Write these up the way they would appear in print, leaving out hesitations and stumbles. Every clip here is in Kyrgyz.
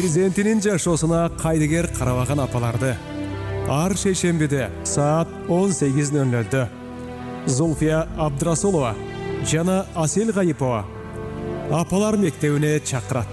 перзентинин жашоосуна кайдыгер карабаган апаларды ар шейшембиде саат 18:00 Зульфия Абдрасулова жана Асел Гайипова апалар мектебине чакырат.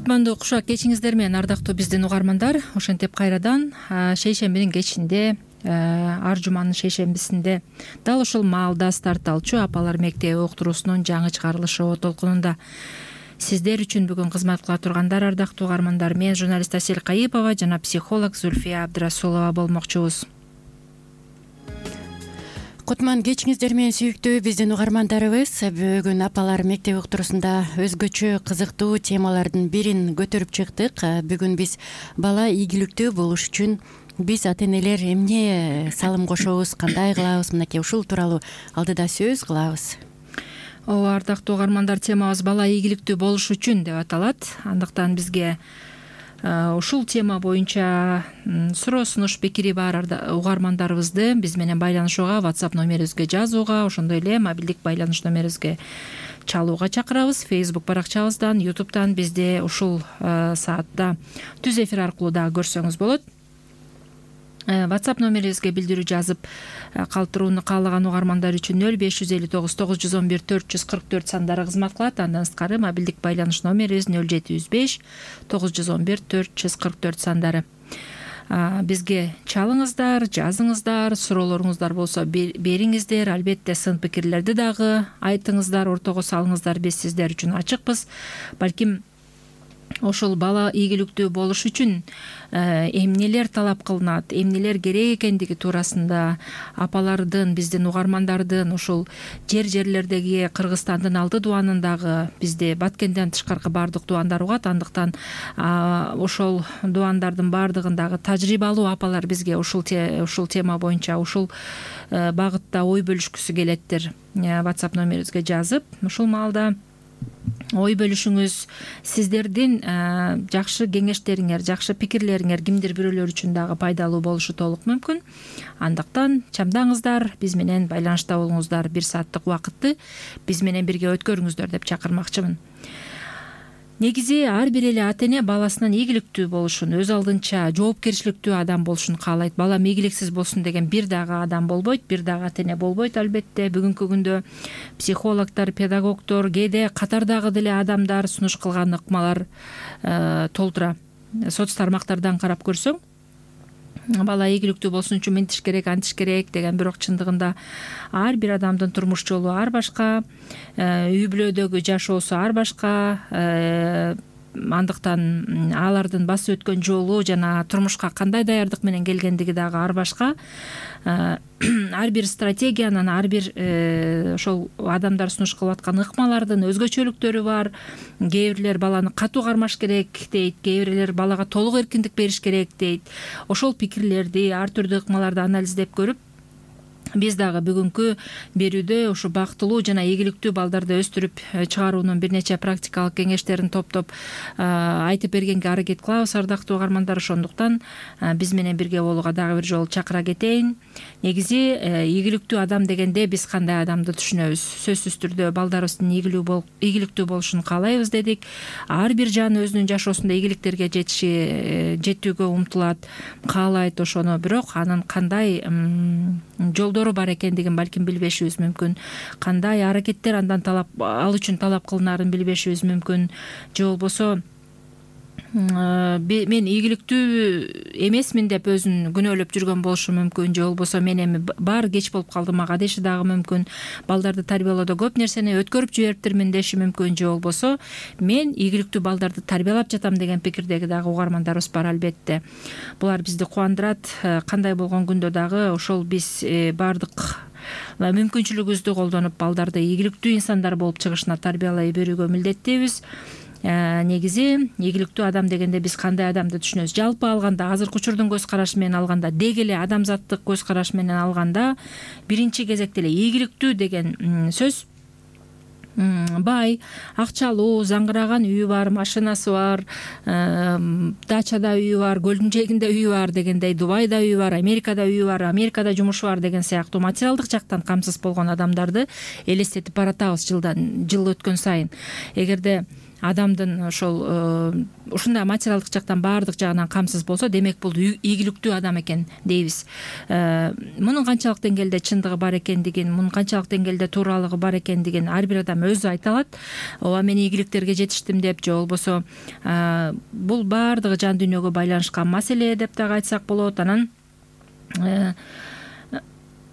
Кутмандуу кушак кечиңиздер менен ардактуу биздин угармандар. Ошентип кайрадан шейшембинин кечинде, ар жуманын шейшембисинде дал ушул маалда старт алчу апалар мектеби уктуруусунун жаңы чыгарылышы толкунунда сиздер үчүн бүгүн кызмат кыла тургандар ардактуу угармандар. Мен журналист Асел Гайипова жана психолог Зульфия Абдрасулова болмокчубуз. Кутман кечиңиздер менен сүйүктүү биздин угармандарыбыз. Бүгүн апалар мектеби уктуруусунда өзгөчө кызыктуу темалардын бирин көтөрүп чыктык. Бүгүн биз бала ийгиликтүү болуш үчүн биз ата энелер эмне салым кошобуз, кандай кылабыз, мынакей ушул тууралуу алдыда сөз кылабыз. Ооба, ардактуу угармандар, темабыз бала ийгиликтүү болуш үчүн деп аталат. Андыктан бизге ушул тема боюнча суроо сунуш пикири бар угармандарыбызды биз менен байланышууга, WhatsApp номерибизге жазууга, ошондой эле мобилдик байланыш номерибизге чалууга чакырабыз. Facebook баракчабыздан, YouTube'дан бизди ушул саатта түз эфир аркылуу дагы көрсөңүз болот. WhatsApp номерибизге билдирүү жазып калтырууну каалаган угармандар үчүн 0559 911 444 сандары кызмат кылат. Андан сырткары мобилдик байланыш номерибиз 0705 911 444 сандары. Бизге чалыңыздар, жазыңыздар, суроолоруңуздар болсо бериңиздер. Албетте сын пикирлерди дагы айтыңыздар, ортого салыңыздар. Биз сиздер үчүн ачыкпыз. Балким ошол бала ийгиликтүү болуш үчүн эмнелер талап кылынат, эмнелер керек экендиги туурасында апалардын, биздин угармандардын, ушул жерлердеги Кыргызстандын 6 дуанындагы бизде Баткенден тышкаркы баардык дуандар угат. Андыктан ошол дуандардын баардыгындагы тажрыйбалуу апалар бизге ушул тема боюнча, ушул багытта ой бөлүшкүсү келеттир. WhatsApp номерибизге жазып, ушул маалда ой бөлүшүңүз, сиздердин жакшы кеңештериңер, жакшы пикирлериңер кимдир бирөөлөр үчүн дагы пайдалуу болушу толук мүмкүн. Андыктан чамдаңыздар, биз менен байланышта болуңуздар, 1 сааттык убакытты биз менен бирге өткөрүңүздөр деп чакырмакчымын. Негизи ар бир эле ата эне баласынын ийгиликтүү болушун, өз алдынча жоопкерчиликтүү адам болушун каалайт. Балам ийгиликсиз болсун деген бир дагы адам болбойт, бир дагы ата эне болбойт. Албетте бүгүнкү күндө психологдор, педагогдор, кээде катардагы деле адамдар сунуш кылган ыкмалар толтура. Соц тармактардан карап көрсөң, бала ийгиликтүү болсун үчүн мынтиш керек, антиш керек деген, бирок чындыгында ар бир адамдын турмуш жолу ар башка, үй бүлөдөгү жашоосу ар башка. Андыктан алардын басып өткөн жолу жана турмушка кандай даярдык менен келгендиги дагы ар башка. Ар бир стратегиянын, ар бир ошол адамдар сунуш кылып аткан ыкмалардын өзгөчөлүктөрү бар. Кээ бирлер баланы катуу кармаш керек дейт, кээ бирлер балага толук эркиндик бериш керек дейт. Ошол пикирлерди, ар түрдүү ыкмаларды анализдеп көрүп, биз дагы бүгүнкү берүүдө ушу бактылуу жана ийгиликтүү балдарды өстүрүп чыгаруунун бир нече практикалык кеңештерин топтоп айтып бергенге аракет кылабыз, ардактуу угармандар. Ошондуктан биз менен бирге болууга дагы бир жолу чакыра кетейин. Негизи ийгиликтүү адам дегенде биз кандай адамды түшүнөбүз? Сөзсүз түрдө балдарыбыздын ийгиликтүү болушун каалайбыз дедик. Ар бир жан өзүнүн жашоосунда ийгиликтерге жетүүгө умтулат, каалайт ошону. Бирок анын кандай жолдору бар экендигин балким билбешибиз мүмкүн. Кандай аракеттер андан ал үчүн талап кылынарын билбешибиз мүмкүн. Же болбосо мен ийгиликтүү эмесмин деп өзүн күнөөлөп жүргөн болушу мүмкүн. Же болбосо мен эми баары кеч болуп калды мага деши дагы мүмкүн. Балдарды тарбиялоодо көп нерсени өткөрүп жибериптирмин деши мүмкүн. Же болбосо мен ийгиликтүү балдарды тарбиялап жатам деген пикирдеги дагы угармандарыбыз бар. Албетте булар бизди кубандырат. Кандай болгон күндө дагы ошол биз баардык мүмкүнчүлүгүбүздү колдонуп балдарды ийгиликтүү инсандар болуп чыгышына тарбиялай берүүгө милдеттүүбүз. Негизи ийгиликтүү адам дегенде биз кандай адамды түшүнөбүз? Жалпы алганда, азыркы учурдун көз карашы менен алганда, деги эле адамзаттык көз караш менен алганда, биринчи кезекте эле ийгиликтүү деген сөз бай, акчалуу, заңгыраган үйү бар, машинасы бар, дачада үйү бар, көлдүн жээгинде үйү бар дегендей, Дубайда үйү бар, Америкада үйү бар, Америкада жумушу бар деген сыяктуу материалдык жактан камсыз болгон адамдарды элестетип баратабыз жыл өткөн сайын. Эгерде адамдын ошол ушундай материалдык жактан баардык жагынан камсыз болсо, демек бул ийгиликтүү адам экен дейбиз. Мунун канчалык деңгээлде чындыгы бар экендигин, мунун канчалык деңгээлде тууралыгы бар экендигин ар бир адам өзү айта алат. Ооба мен ийгиликтерге жетиштим деп, же болбосо бул баардыгы жан дүйнөгө байланышкан маселе деп дагы айтсак болот. Анан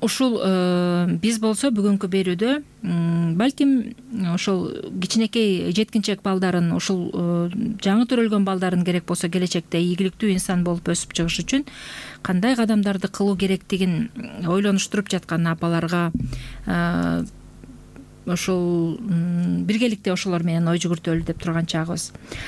ушул биз болсо бүгүнкү берүүдө балким ошол кичинекей жеткинчек балдарын, ушул жаңы төрөлгөн балдарын керек болсо келечекте ийгиликтүү инсан болуп өсүп чыгыш үчүн кандай кадамдарды кылуу керектигин ойлонуштуруп жаткан апаларга ошол биргеликте ошолор менен ой жүгүртөлү деп турган чагыбыз.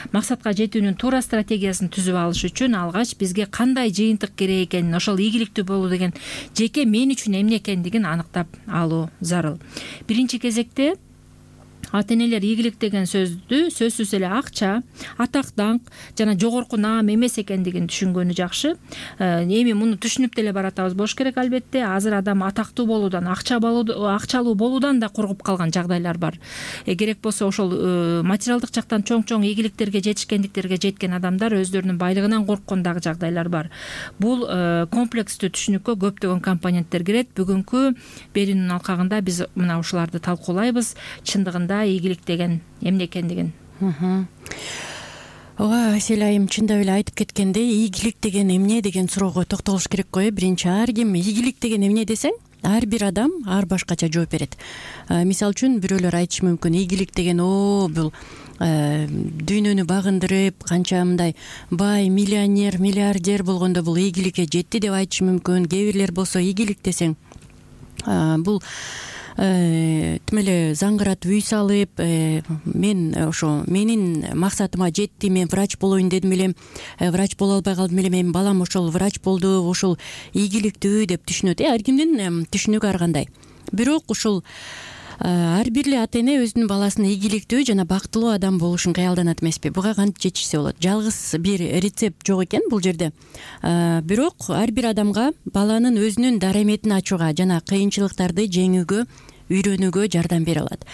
Максатка жетүүнүн туура стратегиясын түзүп алыш үчүн алгач бизге кандай жыйынтык керек экенин, ошол ийгиликтүү болуу деген жеке мен үчүн эмне экендигин аныктап алуу зарыл. Биринчи кезекте ата-энелер ийгилик деген сөздү сөзсүз эле акча, атак, даңк жана жогорку наам эмес экендигин түшүнгөнү жакшы. Эми муну түшүнүп деле баратабыз болуш керек албетте. Азыр адам атактуу болуудан, акчалуу болуудан да коркуп калган жагдайлар бар. Керек болсо ошол материалдык жактан чоң ийгиликтерге жетишкендиктерге жеткен адамдар өздөрүнүн байлыгынан корккон дагы жагдайлар бар. Бул комплекстүү түшүнүккө көптөгөн компоненттер кирет. Бүгүнкү берүүнүн алкагында биз мына ушуларды талкуулайбыз. Чындыгында ийгилик деген эмне экендигин. Ооба, Асель айым чындап эле айтып кеткендей, ийгилик деген эмне деген суроого токтолуш керек го. Биринчи, ар ким ийгилик деген эмне десең, ар бир адам ар башкача жооп берет. Мисалы үчүн бирөөлөр айтышы мүмкүн, ийгилик деген бул дүйнөнү багындырып, канча мындай бай, миллионер, миллиардер болгондо бул ийгиликке жетти деп айтышы мүмкүн. Кээ бирлер болсо ийгилик десең бул тим эле заңгыратып үй салып, мен ошо менин максатыма жетти, мен врач болоюн дедим элем, врач боло албай калдым элем, эми балам ошол врач болду, ошол ийгиликтүү деп түшүнөт. Ар кимдин түшүнүгү ар кандай. Бирок ушул ар бир эле ата эне өзүнүн баласынын ийгиликтүү жана бактылуу адам болушун каялданат эмеспи? Буга кантип жетишсе болот? Жалгыз бир рецепт жок экен бул жерде. Бирок ар бир адамга баланын өзүнүн дараметин ачууга жана кыйынчылыктарды жеңүүгө, үйрөнүүгө жардам бере алат.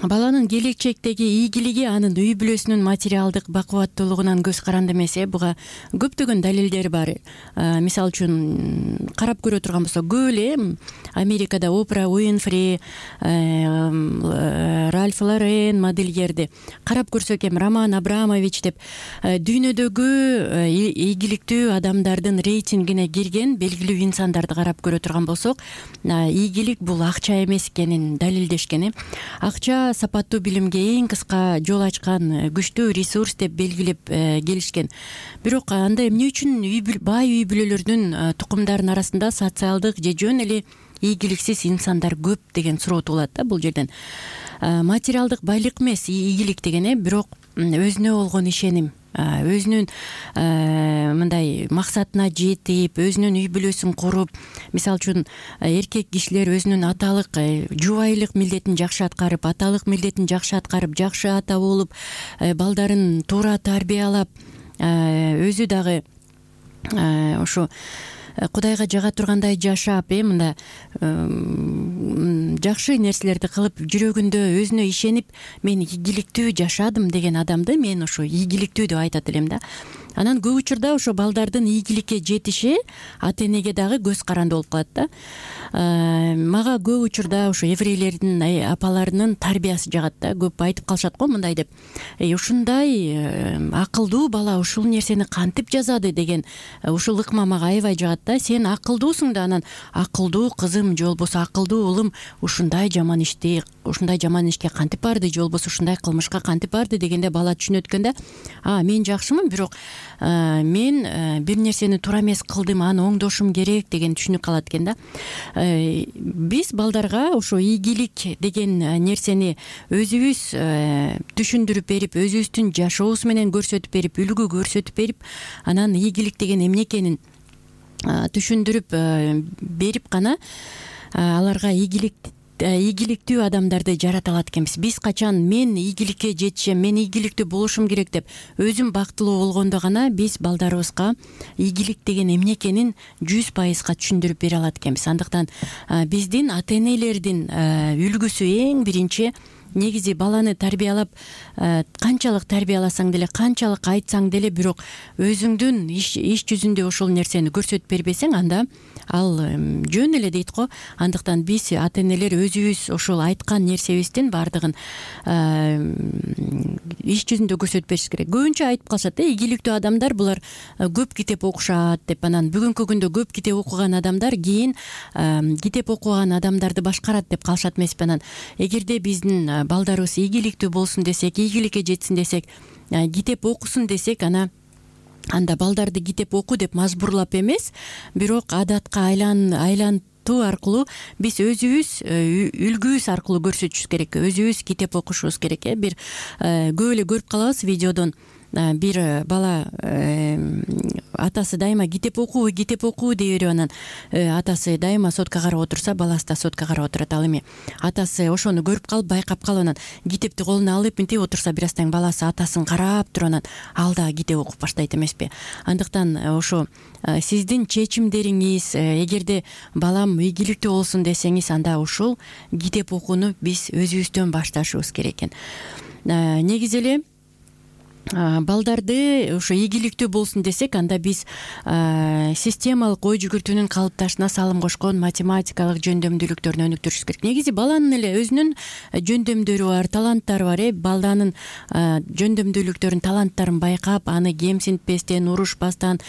Баланын келечектеги ийгилиги анын үй бүлөсүнүн материалдык бакубаттуулугунан көз каранды эмес. Буга көптөгөн далилдер бар. Мисалы үчүн карап көрө турган болсок, көп эле Америкада Опра Уинфри, Ральф Лорен модельерди карап көрсөк, Роман Абрамович деп дүйнөдөгү ийгиликтүү адамдардын рейтингине кирген белгилүү инсандарды карап көрө турган болсок, ийгилик бул акча эмес экенин далилдешкен. Акча сапаттуу билимге эң кыска жол ачкан күчтүү ресурс деп белгилеп келишкен. Бирок анда эмне үчүн бай үй бүлөлөрдүн тукумдарынын арасында социалдык же жөн эле ийгиликсиз инсандар көп деген суроо туулат да бул жерден. Материалдык байлык эмес ийгилик деген, бирок өзүнө болгон ишеним, өзүнүн мындай максатына жетип, өзүнүн үй бүлөсүн куруп, мисалы үчүн эркек кишилер өзүнүн аталык жубайлык милдетин жакшы аткарып, аталык милдетин жакшы аткарып, жакшы ата болуп, балдарын туура тарбиялап, өзү дагы ошо Кудайга жага тургандай жашап, мында жакшы нерселерди кылып, жүрөгүндө өзүнө ишенип, мен ийгиликтүү жашадым деген адамды мен ошо ийгиликтүү деп айтат элем да. Анан көп учурда ошо балдардын ийгиликке жетиши ата энеге дагы көз каранды болуп калат да. Мага көп учурда ошо еврейлердин апаларынын тарбиясы жагат да. Көп айтып калышат го мындай деп. Ушундай акылдуу бала ушул нерсени кантип жазады деген ушул ыкма мага аябай жагат да. Сен акылдуусуң да, анан акылдуу кызым же болбосо акылдуу уулум ушундай жаман ишке кантип барды, же болбосо ушундай кылмышка кантип барды дегенде бала түшүнөт экен да. Мен жакшымын, бирок мен бир нерсени туура эмес кылдым, аны оңдошум керек деген түшүнүк калат экен да. Биз балдарга ошо ийгилик деген нерсени өзүбүз түшүндүрүп берип, өзүбүздүн жашообуз менен көрсөтүп берип, үлгү көрсөтүп берип, анан ийгилик деген эмне экенин түшүндүрүп берип гана аларга ийгилик ийгиликтүү адамдарды жарата алат экенбиз. Биз качан мен ийгиликке жетишем, мен ийгиликтүү болушум керек деп өзүм бактылуу болгондо гана биз балдарыбызга ийгилик деген эмне экенин 100%га түшүндүрүп бере алат экенбиз. Андыктан биздин ата энелердин үлгүсү эң биринчи негизи баланы тарбиялап, канчалык тарбияласаң деле, канчалык айтсаң деле, бирок өзүңдүн иш жүзүндө ошол нерсени көрсөтүп бербесең, анда ал жөн эле дейт го. Андыктан биз ата энелер өзүбүз ошол айткан нерсебиздин баардыгын иш жүзүндө көрсөтүп бериш керек. Көбүнчө айтып калышат, ийгиликтүү адамдар булар көп китеп окушат деп. Анан бүгүнкү күндө көп китеп окуган адамдар кийин китеп окуган адамдарды башкарат деп калышат эмеспи? Анан эгерде биздин балдарыбыз ийгиликтүү болсун десек, ийгиликке жетсин десек, китеп окусун десек, анда балдарды китеп оку деп мажбурлап эмес, бирок адатка айлантуу аркылуу биз өзүбүз үлгүбүз аркылуу көрсөтүшүбүз керек. Өзүбүз китеп окушубуз керек. Бир көп эле көрүп калабыз видеодон. Бир бала атасы дайыма китеп окуу дей берип, анан атасы дайыма сотка карап отурса, баласы да сотка карап отурат. Ал эми атасы ошону көрүп калып, байкап калып, анан китепти колуна алып мынтип отурса, бир аздан баласы атасын карап туруп, анан ал да китеп окуп баштайт эмеспи? Андыктан ошо сиздин чечимдериңиз, эгерде балам ийгиликтүү болсун десеңиз, анда ошол китеп окууну биз өзүбүздөн башташыбыз керек экен. Негизи эле балдарды ошо ийгиликтүү болсун десек, анда биз системалык ой жүгүртүүнүн калыпташына салым кошкон математикалык жөндөмдүүлүктөрүн өнүктүрүшүбүз керек. Негизи баланын эле өзүнүн жөндөмдөрү бар, таланттары бар. Балданын жөндөмдүүлүктөрүн, таланттарын байкап, аны кемсинтпестен, урушпастан,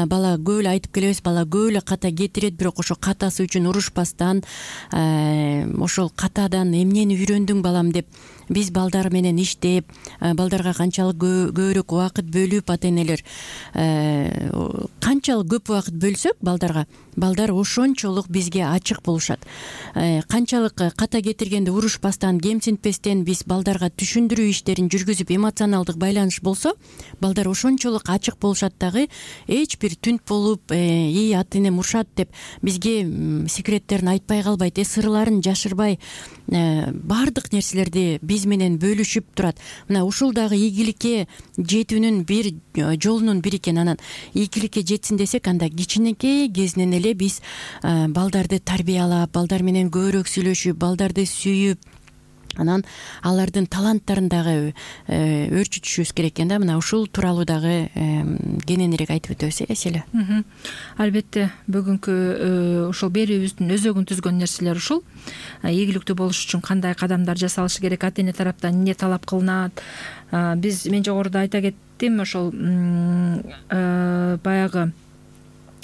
бала көп эле айтып келебиз, бала көп эле ката кетирет, бирок ошо катасы үчүн урушпастан, ошол катадан эмнени үйрөндүң балам деп биз балдар менен иштеп, балдарга канчалык көбүрөөк убакыт бөлүп, ата энелер канчалык көп убакыт бөлсөк балдарга, балдар ошончолук бизге ачык болушат. Канчалык ката кетиргенде урушпастан, кемсинтпестен биз балдарга түшүндүрүү иштерин жүргүзүп, эмоционалдык байланыш болсо, балдар ошончолук ачык болушат. Дагы эч бир түнт болуп, ата энем урушат деп бизге секреттерин айтпай калбайт, сырларын жашырбай, баардык нерселерди биз менен бөлүшүп турат. Мына ушул дагы ийгиликке жетүүнүн бир жолунун бири экен. Анан ийгиликке жетсин десек, анда кичинекей кезинен эле биз балдарды тарбиялап, балдар менен көбүрөөк сүйлөшүп, балдарды сүйүп, анан алардын таланттарын дагы өрчүтүшүбүз керек экен да. Мына ушул тууралуу дагы кененирээк айтып өтөбүз, эселе. Албетте, бүгүнкү ушул берүүбүздүн өзөгүн түзгөн нерселер ушул. Ийгиликтүү болуш үчүн кандай кадамдар жасалышы керек, ата эне тараптан эмне талап кылынат. Мен жогоруда айта кеттим, ошол баягы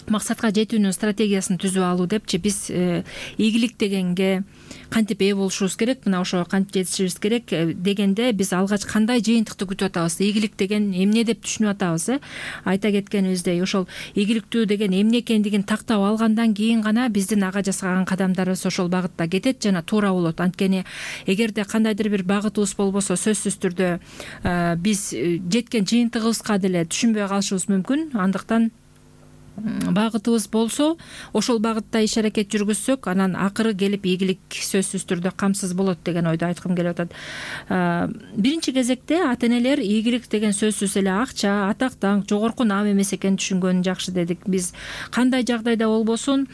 максатка жетүүнүн стратегиясын түзүп алуу депчи. Биз ийгилик дегенге кантип ээ болушубуз керек, мына ошо кантип жетишибиз керек дегенде биз алгач кандай жыйынтыкты күтүп атабыз, ийгилик деген эмне деп түшүнүп атабыз. Айта кеткенибиздей, ошол ийгиликтүү деген эмне экендигин тактап алгандан кийин гана биздин ага жасаган кадамдарыбыз ошол багытта кетет жана туура болот. Анткени эгерде кандайдыр бир багытыбыз болбосо, сөзсүз түрдө биз жеткен жыйынтыгыбызга деле түшүнбөй калышыбыз мүмкүн. Андыктан багытыбыз болсо, ошол багытта иш аракет жүргүзсөк, анан акыры келип ийгилик сөзсүз түрдө камсыз болот деген ойду айткым келип атат. Биринчи кезекте ата энелер ийгилик деген сөзсүз эле акча, атак даңк, жогорку наам эмес экенин түшүнгөнү жакшы дедик. Биз кандай жагдайда болбосун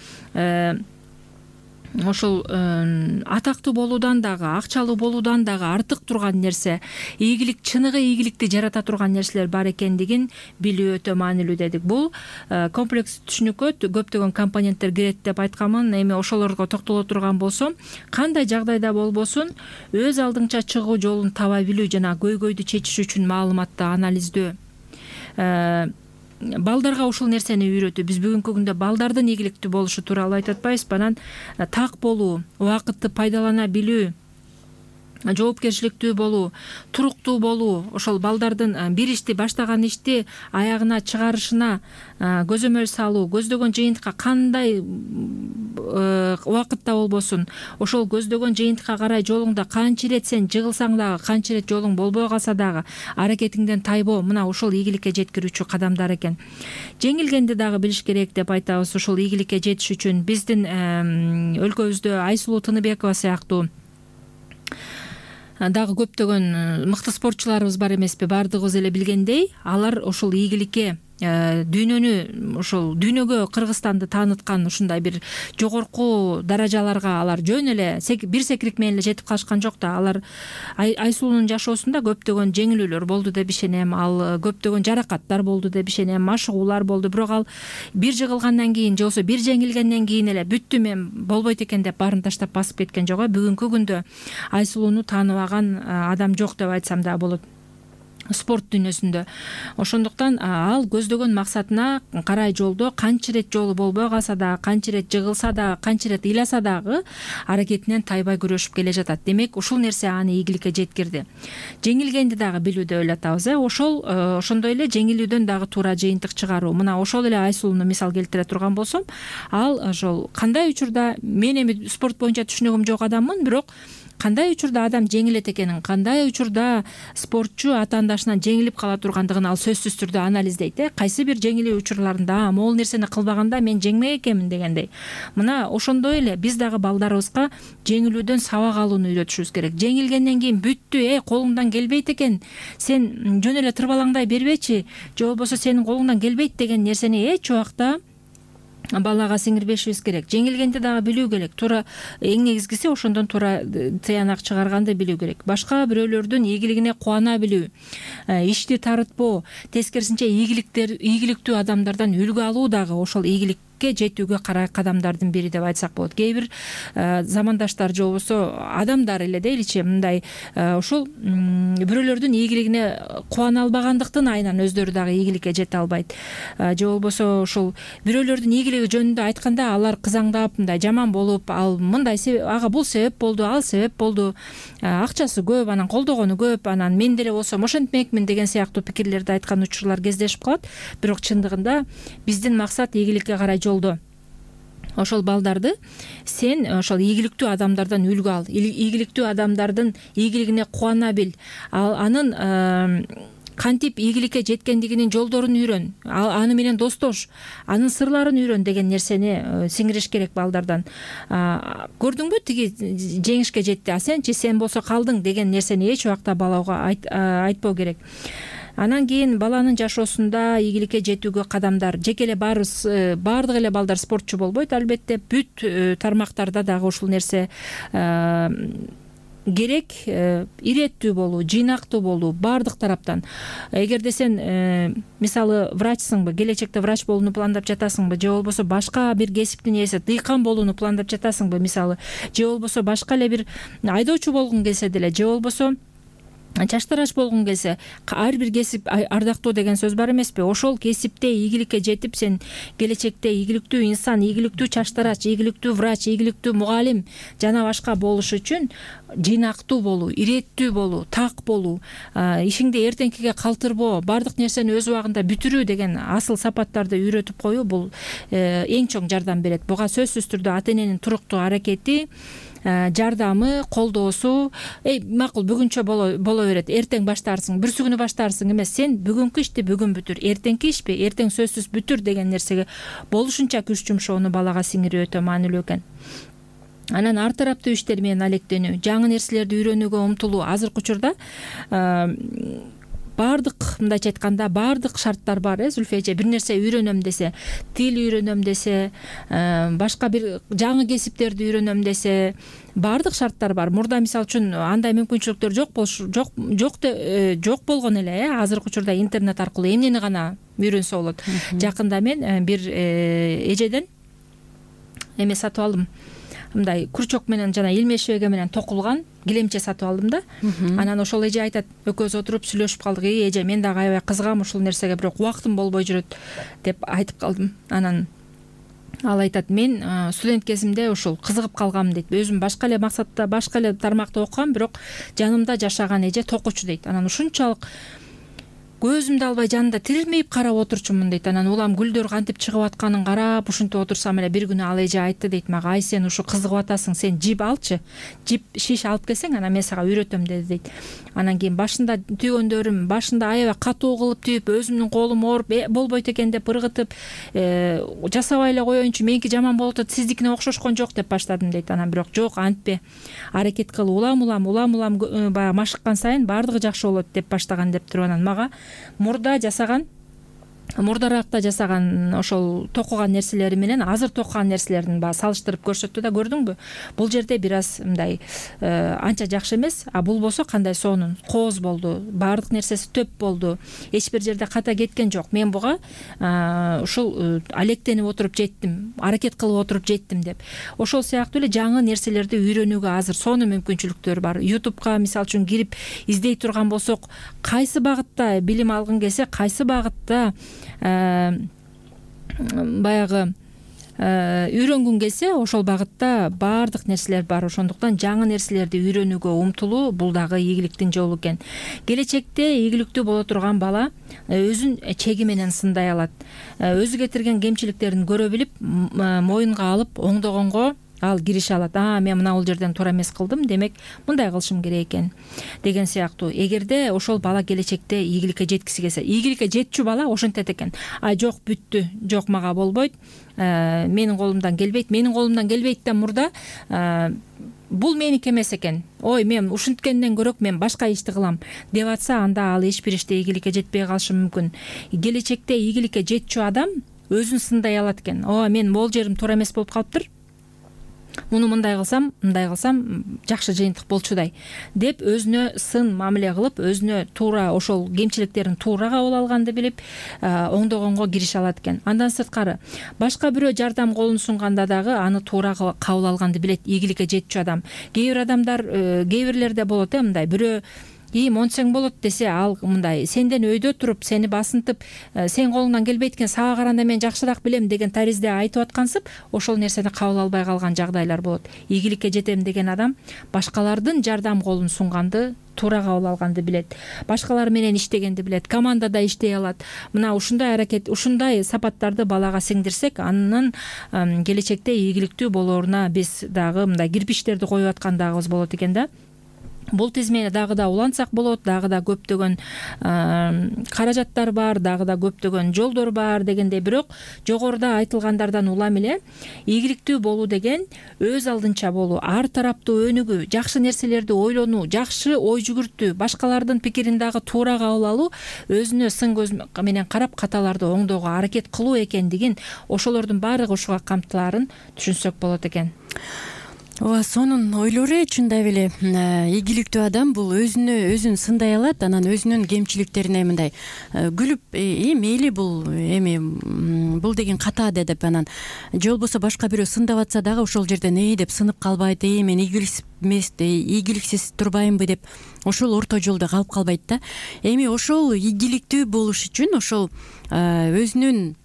ошол атактуу болуудан дагы, акчалуу болуудан дагы артык турган нерсе, ийгилик, чыныгы ийгиликти жарата турган нерселер бар экендигин билүү өтө маанилүү дедик. Бул комплекс түшүнүккө көптөгөн компоненттер кирет деп айтканмын. Эми ошолорго токтоло турган болсом, кандай жагдайда болбосун өз алдыңча чыгуу жолун таба билүү жана көйгөйдү чечиш үчүн маалыматты анализдөө, балдарга ушул нерсени үйрөтүү. Биз бүгүнкү күндө балдардын ийгиликтүү болушу тууралуу айтып атпайбызбы? Анан так болуу, убакытты пайдалана билүү, жоопкерчиликтүү болуу, туруктуу болуу, ошол балдардын бир ишти, баштаган ишти аягына чыгарышына көзөмөл салуу, көздөгөн жыйынтыкка кандай убакытта болбосун ошол көздөгөн жыйынтыкка карай жолуңда канча ирет сен жыгылсаң дагы, канча ирет жолуң болбой калса дагы аракетиңден тайбоо, мына ошол ийгиликке жеткирүүчү кадамдар экен. Жеңилгенди дагы билиш керек деп айтабыз. Ушул ийгиликке жетиш үчүн биздин өлкөбүздө Айсулуу Тыныбекова сыяктуу дагы көптөгөн мыкты спортчуларыбыз бар эмеспи? Баардыгыбыз эле билгендей, алар ошол ийгиликке дүйнөгө Кыргызстанды тааныткан ушундай бир жогорку даражаларга алар жөн эле бир секирик менен эле жетип калышкан жок да. Алар Айсулуунун жашоосунда көптөгөн жеңилүүлөр болду деп ишенем, ал көптөгөн жаракаттар болду деп ишенем, машыгуулар болду. Бирок ал бир жыгылгандан кийин же болбосо бир жеңилгенден кийин эле бүттү, мен болбойт экен деп баарын таштап басып кеткен жок. Бүгүнкү күндө Айсулууну тааныбаган адам жок деп айтсам да болот спорт дүйнөсүндө. Ошондуктан ал көздөгөн максатына карай жолдо канча ирет жолу болбой калса дагы, канча ирет жыгылса дагы, канча ирет ыйласа дагы аракетинен тайбай күрөшүп келе жатат. Демек ушул нерсе аны ийгиликке жеткирди. Жеңилгенди дагы билүү деп ойлотобуз. Ошондой эле жеңилүүдөн дагы туура жыйынтык чыгаруу. Мына ошол эле Айсулууну мисал келтире турган болсом, ал ошол кандай учурда мен эми спорт боюнча түшүнүгүм жок адаммын, бирок кандай учурда адам жеңилет экенин, кандай учурда спортчу атаандашынан жеңилип кала тургандыгын ал сөзсүз түрдө анализдейт. Кайсы бир жеңилүү учурларында могул нерсени кылбаганда мен жеңмек экенмин дегендей. Мына ошондой эле биз дагы балдарыбызга жеңилүүдөн сабак алууну үйрөтүшүбүз керек. Жеңилгенден кийин бүттү, колуңдан келбейт экен, сен жөн эле тырбалаңдай бербечи, же болбосо сенин колуңдан келбейт деген нерсени эч убакта балага сиңирбешибиз керек. Жеңилгенди дагы билүү керек. Туура эң негизгиси ошондон туура тыянак чыгарганды билүү керек. Башка бирөөлөрдүн ийгилигине кубана билүү, ишти тарытпоо, тескерисинче ийгиликтүү адамдардан үлгү алуу дагы ошол ийгиликке жетүүгө карай кадамдардын бири деп айтсак болот. Кээ бир замандаштар же болбосо адамдар эле дейличи, мындай ушул бирөөлөрдүн ийгилигине кубана албагандыктан айынан өздөрү дагы ийгиликке жете албайт. Же болбосо ушул бирөөлөрдүн ийгилиги жөнүндө айтканда алар кызаңдап, мындай жаман болуп, ал мындай ага бул себеп болду, ал себеп болду, акчасы көп, анан колдогону көп, анан мен деле болсом ошентмекмин деген сыяктуу пикирлерди айткан учурлар кездешип калат. Бирок чындыгында биздин максат ийгиликке карай жолдо ошол балдарды сен ошол ийгиликтүү адамдардан үлгү ал, ийгиликтүү адамдардын ийгилигине кубана бил, анын кантип ийгиликке жеткендигинин жолдорун үйрөн, аны менен достош, анын сырларын үйрөн деген нерсени сиңириш керек балдардан. Көрдүңбү, тиги жеңишке жетти, сен болсо калдың деген нерсени эч убакта балага айтпоо керек. Анан кийин баланын жашоосунда ийгиликке жетүүгө кадамдар, жеке эле баардык эле балдар спортчу болбойт, албетте бүт тармактарда дагы ушул нерсе керек. Иреттүү болуу, жыйнактуу болуу баардык тараптан. Эгерде сен мисалы врачсыңбы, келечекте врач болууну пландап жатасыңбы, же болбосо башка бир кесиптин ээси дыйкан болууну пландап жатасыңбы мисалы, же болбосо башка эле бир айдоочу болгуң келсе деле, же болбосо чаштарач болгуң келсе, ар бир кесип ардактуу деген сөз бар эмеспи? Ошол кесипте ийгиликке жетип, сен келечекте ийгиликтүү инсан, ийгиликтүү чаштарач, ийгиликтүү врач, ийгиликтүү мугалим жана башка болуш үчүн жыйнактуу болуу, иреттүү болуу, так болуу, ишиңди эртеңкиге калтырбоо, баардык нерсени өз убагында бүтүрүү деген асыл сапаттарды үйрөтүп коюу бул эң чоң жардам берет. Буга сөзсүз түрдө ата эненин туруктуу аракети, жардамы, колдоосу, макул бүгүнчө боло берет, эртең баштарсың, бүрсүгүнү баштарсың эмес, сен бүгүнкү ишти бүгүн бүтүр, эртеңки ишпи, эртең сөзсүз бүтүр деген нерсеге болушунча күч жумшоону балага сиңирүү өтө маанилүү экен. Анан ар тараптуу иштер менен алектенүү, жаңы нерселерди үйрөнүүгө умтулуу. Азыркы учурда баардык, мындайча айтканда, баардык шарттар бар. Зүлфия эже бир нерсе үйрөнөм десе, тил үйрөнөм десе, башка бир жаңы кесиптерди үйрөнөм десе, баардык шарттар бар. Мурда мисалы үчүн андай мүмкүнчүлүктөр жок болгон эле. Азыркы учурда интернет аркылуу эмнени гана үйрөнсө болот. Жакында мен бир эжеден эме сатып алдым. Мындай күрчөк менен жана илмеш шебеге менен токулган килемче сатып алдым да. Анан ошол эже айтат, экөөбүз отуруп сүйлөшүп калдык. Эже, мен дагы аябай кызыгам ушул нерсеге, бирок убактым болбой жүрөт деп айтып калдым. Анан ал айтат, мен студент кезимде ушул кызыгып калгам дейт. Өзүм башка эле максатта, башка эле тармакта окугам, бирок жанымда жашаган эже токучу дейт. Анан ушунчалык көзүмдү албай жанында тирилмейип карап отурчумун дейт. Анан улам гүлдөр кантип чыгып атканын карап ушинтип отурсам эле бир күнү ал эже айтты дейт мага: ай сен ушу кызыгып атасың, сен жип алчы, жип шиш алып келсең анан мен сага үйрөтөм деди дейт. Анан кийин башында түйгөндөрүм башында аябай катуу кылып түйүп, өзүмдүн колум ооруп болбойт экен деп ыргытып, жасабай эле коеюнчу, меники жаман болуп атат, сиздикине окшошкон жок деп баштадым дейт. Анан бирок жок, антпе, аракет кыл, улам баягы машыккан сайын баардыгы жакшы болот деп баштаган деп туруп анан мага мурдаракта жасаган ошол токуган нерселери менен азыр токуган нерселерин баягы салыштырып көрсөттү да, көрдүңбү, бул жерде бир аз мындай анча жакшы эмес, а бул болсо кандай сонун, кооз болду, баардык нерсеси төп болду, эч бир жерде ката кеткен жок. Мен буга ушул алектенип отуруп жеттим, аракет кылып отуруп жеттим деп. Ошол сыяктуу эле жаңы нерселерди үйрөнүүгө азыр сонун мүмкүнчүлүктөр бар. YouTube'га мисалы үчүн кирип издей турган болсок, кайсы багытта билим алгың келсе, кайсы багытта баягы үйрөнгүң келсе, ошол багытта баардык нерселер бар. Ошондуктан жаңы нерселерди үйрөнүүгө умтулуу бул дагы ийгиликтин жолу экен. Келечекте ийгиликтүү боло турган бала өзүн чеги менен сындай алат. Өзү кетирген кемчиликтерин көрө билип, моюнга алып, оңдогонго ал киреше алат. Мен мына бул жерден туура эмес кылдым, демек мындай кылышым керек экен деген сыяктуу. Эгерде ошол бала келечекте ийгиликке жеткиси келсе, ийгиликке жетчү бала ошентет экен: жок, бүттү, жок, мага болбойт, менин колумдан келбейт, да мурда бул меники эмес экен, ой, мен ушинткенден көрөк мен башка ишти кылам деп атса, анда ал эч бир иште ийгиликке жетпей калышы мүмкүн. Келечекте ийгиликке жетчү адам өзүн сындай алат экен: мен могул жерим туура эмес болуп калыптыр, муну мындай кылсам жакшы жыйынтык болчудай деп өзүнө сын мамиле кылып, өзүнө туура ошол кемчиликтерин туура кабыл алганды билип, оңдогонго кирише алат экен. Андан сырткары башка бирөө жардам колун сунганда дагы аны туура кабыл алганды билет ийгиликке жетчү адам. Кээ бир адамдар, кээ бирлерде болот мындай, бирөө монтсең болот десе, ал мындай сенден өйдө туруп, сени басынтып, сен колуңдан келбейт экен, сага караганда мен жакшыраак билем деген таризде айтып аткансып, ошол нерсени кабыл албай калган жагдайлар болот. Ийгиликке жетем деген адам башкалардын жардам колун сунганды туура кабыл алганды билет, башкалар менен иштегенди билет, командада иштей алат. Мына ушундай аракет, ушундай сапаттарды балага сиңдирсек, анын келечекте ийгиликтүү болооруна биз дагы мындай кирпичтерди коюп аткандагыбыз болот экен да. Бул тизмени дагы да улантсак болот, дагы да көптөгөн каражаттар бар, дагы да көптөгөн жолдор бар дегендей. Бирок жогоруда айтылгандардан улам эле ийгиликтүү болуу деген өз алдынча болуу, ар тараптуу өнүгүү, жакшы нерселерди ойлонуу, жакшы ой жүгүртүү, башкалардын пикирин дагы туура кабыл алуу, өзүнө сын көз менен карап каталарды оңдоого аракет кылуу экендигин, ошолордун баардыгы ушуга камтылаарын түшүнсөк болот экен. Ооба, сонун ойлор чындап эле. Ийгиликтүү адам бул өзүн сындай алат, анан өзүнүн кемчиликтерине мындай күлүп, мейли бул бул деген ката деп, анан же болбосо башка бирөө сындап атса дагы ошол жерден деп сынып калбайт, мен ийгиликсиз турбаймынбы деп ошол орто жолдо калып калбайт да. Ошол ийгиликтүү болуш үчүн ошол өзүнүн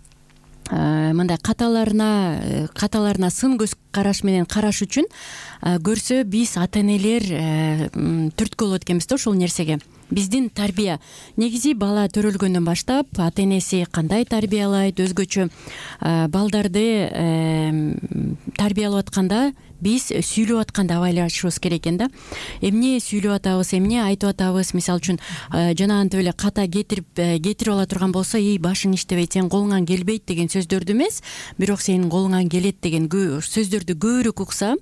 мындай каталарына сын көз караш менен караш үчүн көрсө биз ата энелер түрткү болот экенбиз да ошол нерсеге. Биздин тарбия негизи бала төрөлгөндөн баштап ата энеси кандай тарбиялайт, өзгөчө балдарды тарбиялап атканда биз сүйлөп атканды абайлашыбыз керек экен да. Эмне сүйлөп атабыз, эмне айтып атабыз, мисалы үчүн жанагынтип эле ката кетирип ала турган болсо, башың иштебейт, сен колуңан келбейт деген сөздөрдү эмес, бирок сенин колуңан келет деген сөздөрдү көбүрөөк укса,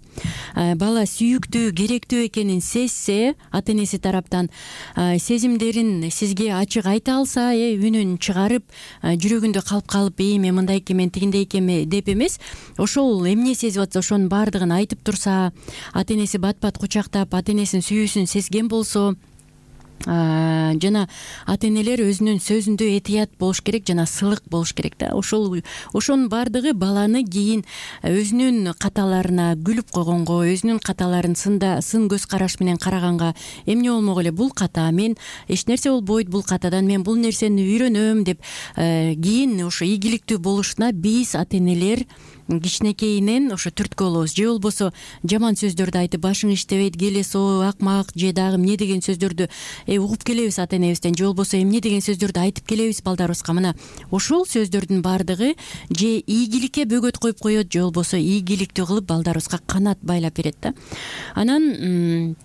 бала сүйүктүү, керектүү экенин сезсе, ата энеси тараптан сезимдерин сизге ачык айта алса, үнүн чыгарып, жүрөгүндө калып, мен мындай экен, мен тигиндей экен деп эмес, ошол эмне сезип атса ошонун баардыгын айтып турса, ата энеси бат-бат кучактап, ата энесинин сүйүүсүн сезген болсо, жана ата энелер өзүнүн сөзүндө этият болуш керек, жана сылык болуш керек да. Ошонун баардыгы баланы кийин өзүнүн каталарына күлүп койгонго, өзүнүн каталарын сын көз караш менен караганга, эмне болмок эле, бул ката, мен эч нерсе болбойт бул катадан, мен бул нерсени үйрөнөм деп кийин ошо ийгиликтүү болушуна биз ата энелер кичинекейинен ошо түрткү болобуз, же болбосо жаман сөздөрдү айтып башың иштебейт, келесоо, акмак же дагы эмне деген сөздөрдү угуп келебиз ата энебизден, же болбосо эмне деген сөздөрдү айтып келебиз балдарыбызга. Мына ошол сөздөрдүн баардыгы же ийгиликке бөгөт коюп коет, же болбосо ийгиликтүү кылып балдарыбызга канат байлап берет да. Анан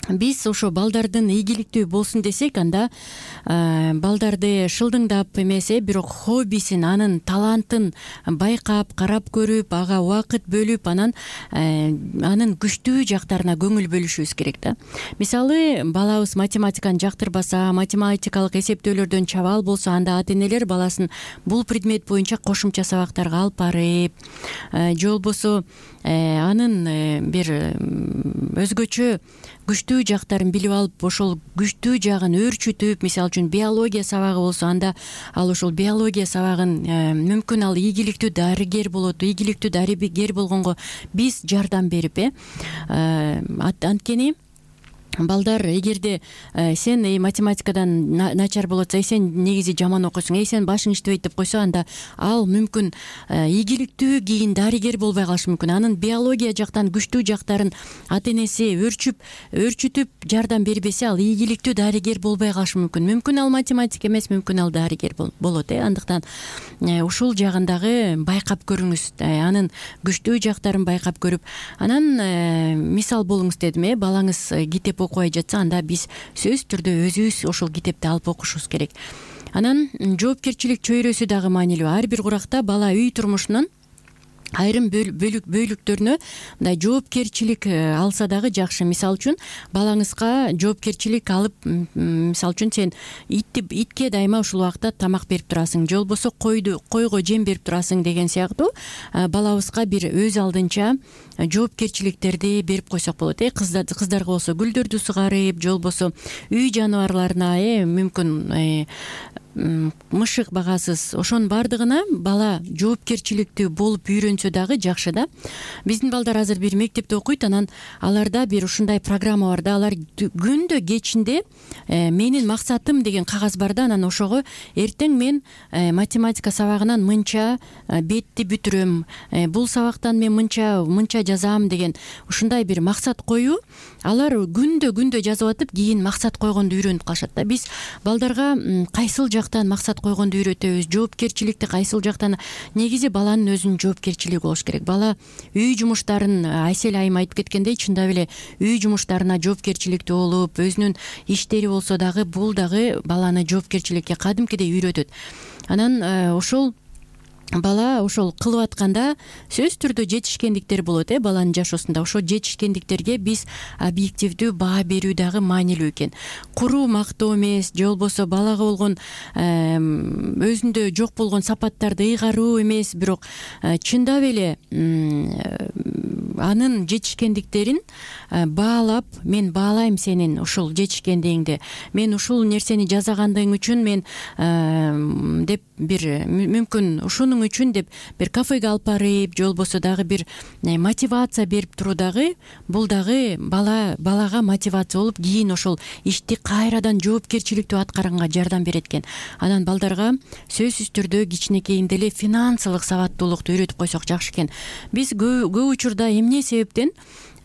биз ошо балдардын ийгиликтүү болсун десек, анда балдарды шылдыңдап эмес, бирок хоббисин, анын талантын байкап, карап көрүп, ага убакыт бөлүп, анын күчтүү жактарына көңүл бөлүшүбүз керек да. Мисалы, балабыз математиканы жактырбаса, математикалык эсептөөлөрдөн чабал болсо, анда ата энелер баласын бул предмет боюнча кошумча сабактарга алып барып, же болбосо анын бир өзгөчө күчтүү жактарын билип алып, ошол күчтүү жагын өөрчүтүп, мисалы үчүн биология сабагы болсо, анда ал ошол биология сабагын мүмкүн ал ийгиликтүү дарыгер болот. Ийгиликтүү дарыгер болгонго биз жардам берип, анткени балдар, эгерде сен математикадан начар болуп атса, сен негизи жаман окуйсуң, сен башың иштебейт деп койсо, анда ал мүмкүн ийгиликтүү кийин дарыгер болбой калышы мүмкүн. Анын биология жактан күчтүү жактарын ата энеси өөрчүтүп жардам бербесе, ал ийгиликтүү дарыгер болбой калышы мүмкүн. Мүмкүн ал математик эмес, мүмкүн ал дарыгер болот. Андыктан ушул жагын дагы байкап көрүңүз, анын күчтүү жактарын байкап көрүп, анан мисал болуңуз дедим. Балаңыз китеп окубай жатса, анда биз сөзсүз түрдө өзүбүз ошол китепти алып окушубуз керек. Анан жоопкерчилик чөйрөсү дагы маанилүү. Ар бир уракта бала үй турмушунун айрым бөлүктөрүнө мындай жоопкерчилик алса дагы жакшы. Мисалы үчүн балаңызга жоопкерчилик алып, мисалы үчүн сен итке дайыма ушул убакта тамак берип турасың, же болбосо койго жем берип турасың деген сыяктуу балабызга бир өз алдынча жоопкерчиликтерди берип койсок болот. Кыздарга болсо гүлдөрдү сугарып, же болбосо үй жаныбарларына мүмкүн мышык багасыз, ошонун баардыгына бала жоопкерчиликтүү болуп үйрөнсө дагы жакшы да. Биздин балдар азыр бир мектепте окуйт, анан аларда бир ушундай программа бар да. Алар күндө кечинде менин максатым деген кагаз бар да. Анан ошого эртең мен математика сабагынан мынча бетти бүтүрөм, бул сабактан мен мынча жазам деген ушундай бир максат коюу. Алар күндө жазып атып, кийин максат койгонду үйрөнүп калышат да. Биз балдарга кайсыл жактан максат койгонду үйрөтөбүз, жоопкерчиликти кайсыл жактан. Негизи баланын өзүнүн жоопкерчилиги болуш керек. Бала үй жумуштарын, Айсел айым айтып кеткендей, чындап эле үй жумуштарына жоопкерчиликтүү болуп, өзүнүн иштери болсо дагы, бул дагы баланы жоопкерчиликке кадимкидей үйрөтөт. Анан ошол бала ошол кылып атканда сөзсүз түрдө жетишкендиктер болот баланын жашоосунда. Ошол жетишкендиктерге биз объективдүү баа берүү дагы маанилүү экен. Куруу мактоо эмес, же болбосо балага болгон өзүндө жок болгон сапаттарды ыйгаруу эмес, бирок чындап эле анын жетишкендиктерин баалап, мен баалайм сенин ушул жетишкендигиңди, мен ушул нерсени жасагандыгың үчүн мен деп бир мүмкүн ушунун үчүн деп бир кафеге алып барып, же болбосо дагы бир мотивация берип туруу дагы, бул дагы балага мотивация болуп, кийин ошол ишти кайрадан жоопкерчиликтүү аткарганга жардам берет экен. Анан балдарга сөзсүз түрдө кичинекейинде эле финансылык сабаттуулукту үйрөтүп койсок жакшы экен. Биз көп учурда эмне себептен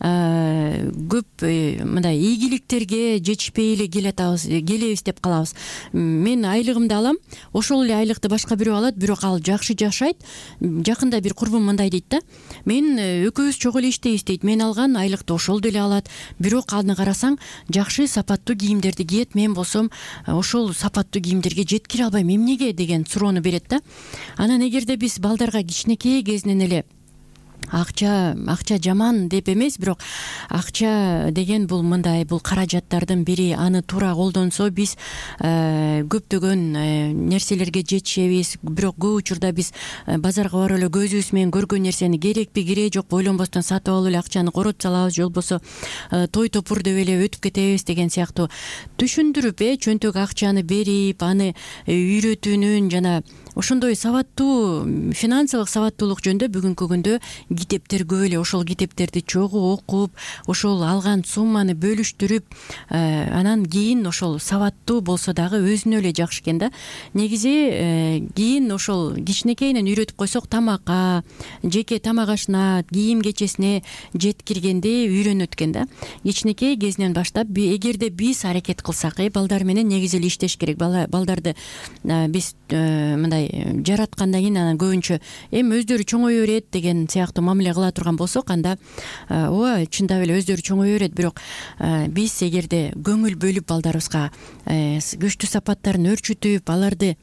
көп мындай ийгиликтерге жетишпей эле келебиз деп калабыз. Мен айлыгымды алам, ошол эле айлыкты башка бирөө алат, бирок ал жакшы жашайт. Жакында бир курбум мындай дейт да: мен экөөбүз чогуу эле иштейбиз дейт, мен алган айлыкты ошол деле алат, бирок аны карасаң жакшы сапаттуу кийимдерди кийет, мен болсом ошол сапаттуу кийимдерге жеткире албайм, эмнеге деген суроону берет да. Анан эгерде биз балдарга кичинекей кезинен эле акча жаман деп эмес, бирок акча деген бул мындай, бул каражаттардын бири, аны туура колдонсо биз көптөгөн нерселерге жетишебиз. Бирок көп учурда биз базарга барып эле көзүбүз менен көргөн нерсени керекпи кереги жок ойлонбостон сатып алып эле акчаны коротуп салабыз, же болбосо той топур деп эле өтүп кетебиз деген сыяктуу түшүндүрүп, чөнтөк акчаны берип, аны үйрөтүүнүн жана ошондой сабаттуу финансылык сабаттуулук жөнүндө бүгүнкү күндө китептер көп эле. Ошол китептерди чогуу окуп, ошол алган сумманы бөлүштүрүп, анан кийин ошол сабаттуу болсо дагы өзүнө эле жакшы экен да. Негизи кийин ошол кичинекейинен үйрөтүп койсок, тамакка, жеке тамак ашына, кийим кечесине жеткиргенде үйрөнөт экен да. Кичинекей кезинен баштап эгерде биз аракет кылсак, балдар менен негизи эле иштеш керек. Балдарды биз мындай жараткандан кийин анан көбүнчө өздөрү чоңое берет деген сыяктуу мамиле кыла турган болсок, анда ооба чындап эле өздөрү чоңое берет. Бирок биз эгерде көңүл бөлүп балдарыбызга күчтүү сапаттарын өөрчүтүп, аларды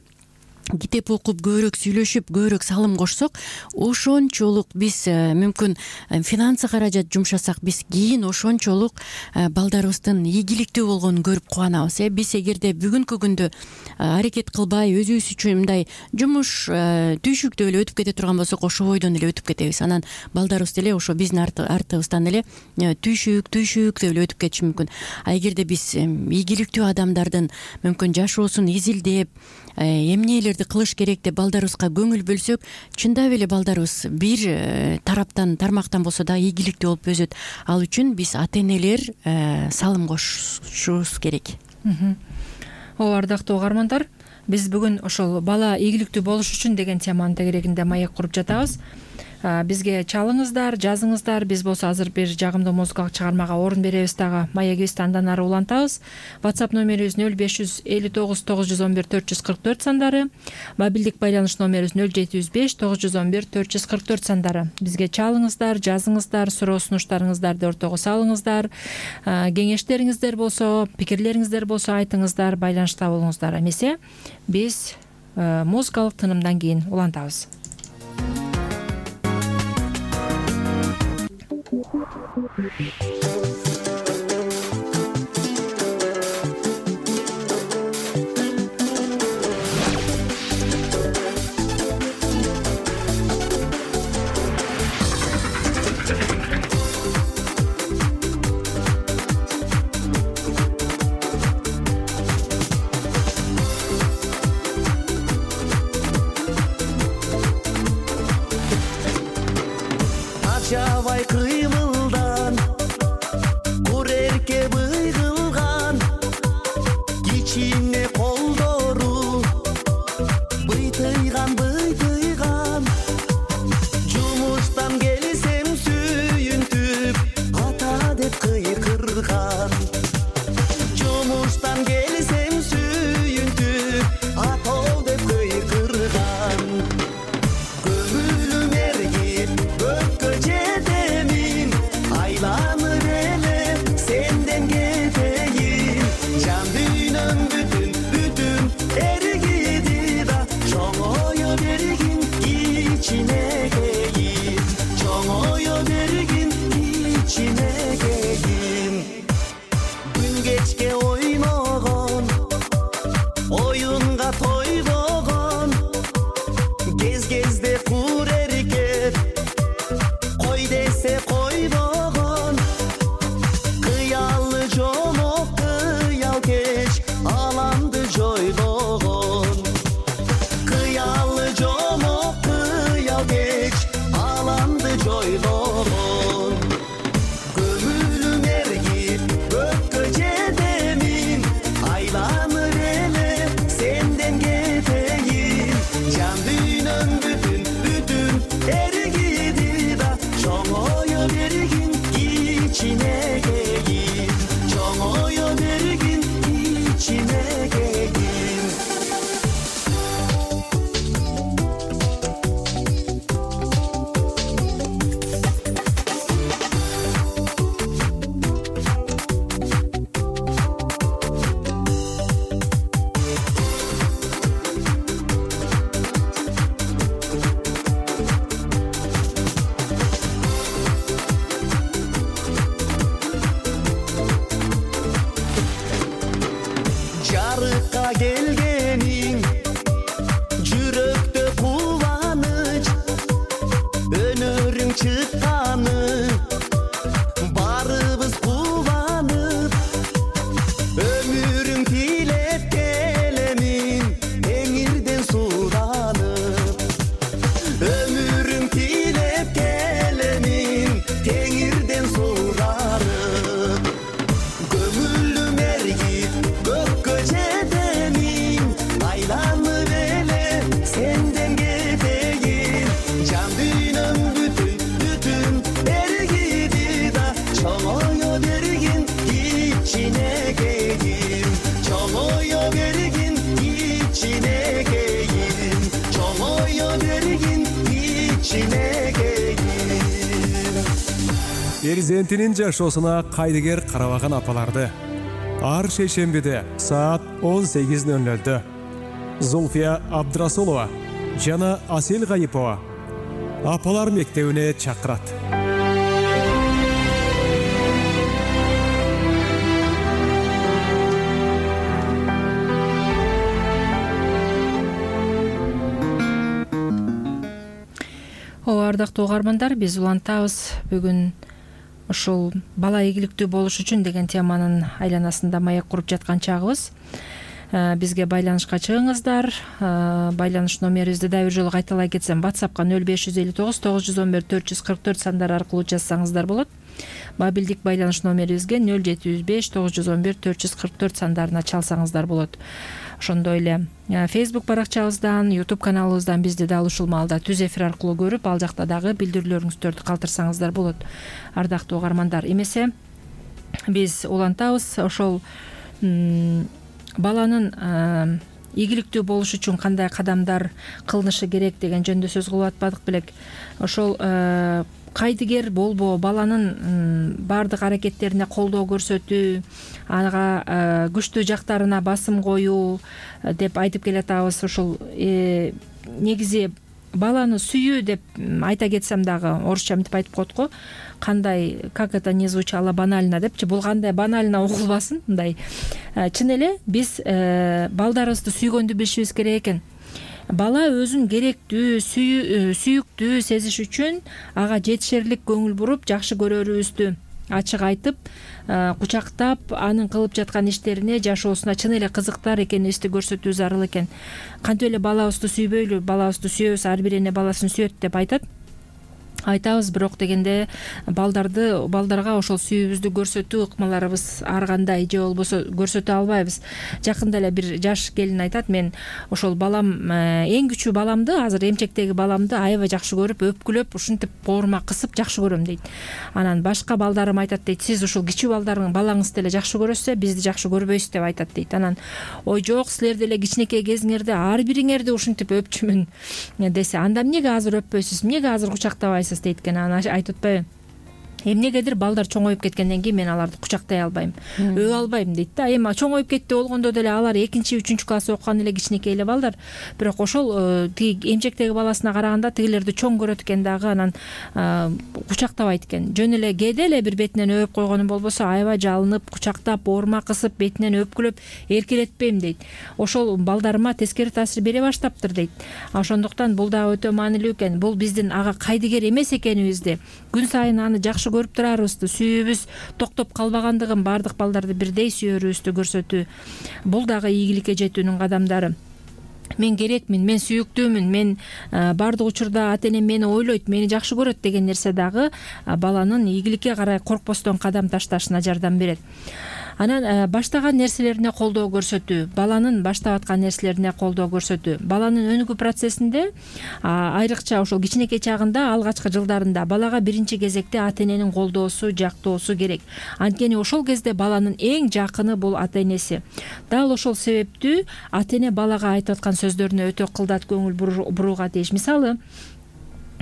китеп окуп, көбүрөөк сүйлөшүп, көбүрөөк салым кошсок, ошончолук биз мүмкүн финансы каражат жумшасак, биз кийин ошончолук балдарыбыздын ийгиликтүү болгонун көрүп кубанабыз. Биз эгерде бүгүнкү күндө аракет кылбай, өзүбүз үчүн мындай жумуш түйшүктүү эле өтүп кете турган болсок, ошо бойдон эле өтүп кетебиз. Анан балдарыбыз деле ошо биздин артыбыздан эле түйшүк деп эле өтүп кетиши мүмкүн. Эгерде биз ийгиликтүү адамдардын мүмкүн жашоосун изилдеп, эмнелерди кылыш керек деп балдарыбызга көңүл бөлсөк, чындап эле балдарыбыз бир тармактан болсо да ийгиликтүү болуп өсөт. Ал үчүн биз ата-энелер салым кошушубуз керек. Ардактуу угармандар, биз бүгүн ошол бала ийгиликтүү болуш үчүн деген теманын тегерегинде маек куруп жатабыз. Бизге чалыңыздар, жазыңыздар. Биз болсо азыр бир жагымдуу музыкалык чыгармага орун беребиз дагы. Маегибизди андан ары улантабыз. WhatsApp номерибиз 0559 911 444 сандары, мобилдик байланыш номерибиз 0705 911 444 сандары. Бизге чалыңыздар, жазыңыздар, суроо сунуштарыңыздарды ортого салыңыздар. Кеңештериңиздер болсо, пикирлериңиздер болсо айтыңыздар, байланышта болуңуздар. Эмесе биз музыкалык тынымдан кийин улантабыз. Жабай кыймылдан курерке быйгылган, кичине колдору быйтыйган жумуштан келсем сүйүнтүп ата деп кыйкырган, жумуштан келсем сүйүнтүп ата деп кыйкырган. Көңүлүм эргип көккө жетемин, айланыр эле сенден кетейин. Жан дүйнөм бүтүн эргиди да, чоңое бергин кичинекейин, чоңое бергин кичинекейин. Күн кечке ойногон, оюнга тойбогон, кезде кур эркек, кой десе койбогон. Кыялы жомок, кыял кеч, аламды жойлогон. Кыялы жомок, кыял кеч, аламды жойлогон. Көңүлүм эргип көккө жетемин, айланыр эле сенден кетейин. Жан дүйнөм бүтүн эргиди да, чоңое бергин кичинекейин, чоңое бергин кичинекейин. Жарыкка келгениң жүрөктө кубаныч, өнөрүң чыкканы барыбыз кубанып. Өмүрүң тилеп келемин теңирден суданып, кичинекейим. Перзентинин жашоосуна кайдыгер карабаган апаларды ар шейшембиде саат 18:00 Зульфия Абдрасулова жана Асел Гайипова апалар мектебине чакырат. Ардактуу угармандар, биз улантабыз. Бүгүн ушул бала ийгиликтүү болуш үчүн деген теманын айланасында маек куруп жаткан чагыбыз. Бизге байланышка чыгыңыздар. Байланыш номерибизди да бир жолу кайталай кетсем, WhatsAppка 0559 911 444 сандары аркылуу жазсаңыздар болот. Мобилдик байланыш номерибизге 0705 911 444 сандарына чалсаңыздар болот. Ошондой эле Facebook баракчабыздан, YouTube каналыбыздан бизди дал ушул маалда түз эфир аркылуу көрүп, ал жакта дагы билдирүүлөрүңүздөрдү калтырсаңыздар болот. Ардактуу угармандар, эмесе биз улантабыз ошол баланын ийгиликтүү болуш үчүн кандай кадамдар кылынышы керек деген жөнүндө сөз кылып атпадык белек. Ошол кайдыгер болбоо, баланын баардык аракеттерине колдоо көрсөтүү, ага күчтүү жактарына басым коюу деп айтып келатабыз. Ошол негизи баланы сүйүү деп айта кетсем дагы, орусча мынтип айтып коет го, кандай, как это не звучало банально депчи, бул кандай банально угулбасын, мындай. Чын эле биз балдарыбызды сүйгөндү билишибиз керек экен. Бала өзүн керектүү, сүйүктүү сезиш үчүн ага жетишерлик көңүл буруп, жакшы көрөрүбүздү ачык айтып, кучактап, анын кылып жаткан иштерине, жашоосуна чын эле кызыктар экенибизди көрсөтүү зарыл экен. Кантип эле балабызды сүйбөйлү, балабызды сүйөбүз, ар бир эне баласын сүйөт деп айтабыз, бирок дегенде балдарга ошол сүйүүбүздү көрсөтүү ыкмаларыбыз ар кандай, же болбосо көрсөтө албайбыз. Жакында эле бир жаш келин айтат, мен ошол балам, эң күчүү баламды, азыр эмчектеги баламды аябай жакшы көрүп, өпкүлөп, ушинтип боорума кысып жакшы көрөм дейт. Анан башка балдарым айтат дейт, сиз ушул кичүү балаңызды эле жакшы көрөсүз, бизди жакшы көрбөйсүз деп айтат дейт. Анан ой жок, силер деле кичинекей кезиңерде ар бириңерди ушинтип өпчүмүн десе, анда эмнеге азыр өппөйсүз, эмнеге азыр кучактабайсыз дейт экен. Анан айтып атпайбы, эмнегедир балдар чоңоюп кеткенден кийин мен аларды кучактай албайм, өбө албайм дейт да. Эми чоңоюп кетти болгондо деле алар 2-3 класс окуган эле кичинекей эле балдар, бирок ошол тиги эмчектеги баласына караганда тигилерди чоң көрөт экен дагы, анан кучактабайт экен. Жөн эле кээде эле бир бетинен өбүп койгонум болбосо, аябай жалынып, кучактап, боорума кысып, бетинен өпкүлөп эркелетпейм дейт. Ошол балдарыма тескери таасир бере баштаптыр дейт. Ошондуктан бул дагы өтө маанилүү экен. Бул биздин ага кайдыгер эмес экенибизди, күн сайын аны жакшы көрүп турарыбызды, сүйүүбүз токтоп калбагандыгын, баардык балдарды бирдей сүйөрүбүздү көрсөтүү. Бул дагы ийгиликке жетүүнүн кадамдары. Мен керекмин, мен сүйүктүүмүн, мен баардык учурда ата энем мени ойлойт, мени жакшы көрөт деген нерсе дагы баланын ийгиликке карай коркпостон кадам ташташына жардам берет. Анан баштаган нерселерине колдоо көрсөтүү, баланын баштап аткан нерселерине колдоо көрсөтүү. Баланын өнүгүү процессинде айрыкча ошол кичинекей чагында, алгачкы жылдарында балага биринчи кезекте ата эненин колдоосу, жактоосу керек. Анткени ошол кезде баланын эң жакыны бул ата энеси. Дал ошол себептүү ата эне балага айтып аткан сөздөрүнө өтө кылдат көңүл бурууга тийиш. Мисалы,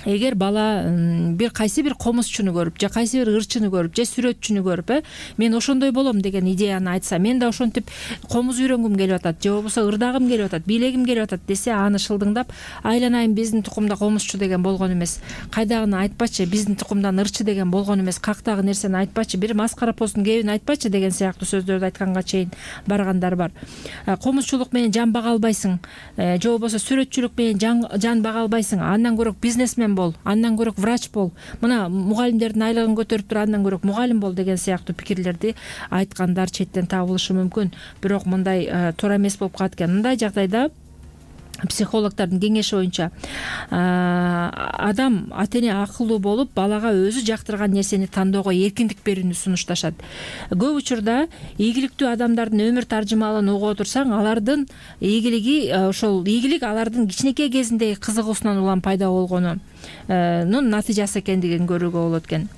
эгер бала бир кайсы бир комузчуну көрүп, же кайсы бир ырчыны көрүп, же сүрөтчүнү көрүп, мен ошондой болом деген идеяны айтса, мен да ошентип комуз үйрөнгүм келип атат, же болбосо ырдагым келип атат, бийлегим келип атат десе, аны шылдыңдап, айланайын биздин тукумда комузчу деген болгон эмес, кайдагыны айтпачы, биздин тукумдан ырчы деген болгон эмес, кактагы нерсени айтпачы, бир маскара постун кебин айтпачы деген сыяктуу сөздөрдү айтканга чейин баргандар бар. Комузчулук менен жан бага албайсың, же болбосо сүрөтчүлүк менен жан бага албайсың, андан көрөк бизнесмен бол, андан көрөк врач бол, мына мугалимдердин айлыгын көтөрүп тур, андан көрөк мугалим бол деген сыяктуу пикирлерди айткандар четтен табылышы мүмкүн. Бирок мындай туура эмес болуп калат экен. Мындай жагдайда психологдордун кеңеши боюнча адам, ата эне акылдуу болуп, балага өзү жактырган нерсени тандоого эркиндик берүүнү сунушташат. Көп учурда ийгиликтүү адамдардын өмүр таржымалын угуп отурсаң, алардын ийгилиги, ошол ийгилик алардын кичинекей кезиндеги кызыгуусунан улам пайда болгону. натыйжасы экендигин көрүүгө болот экен.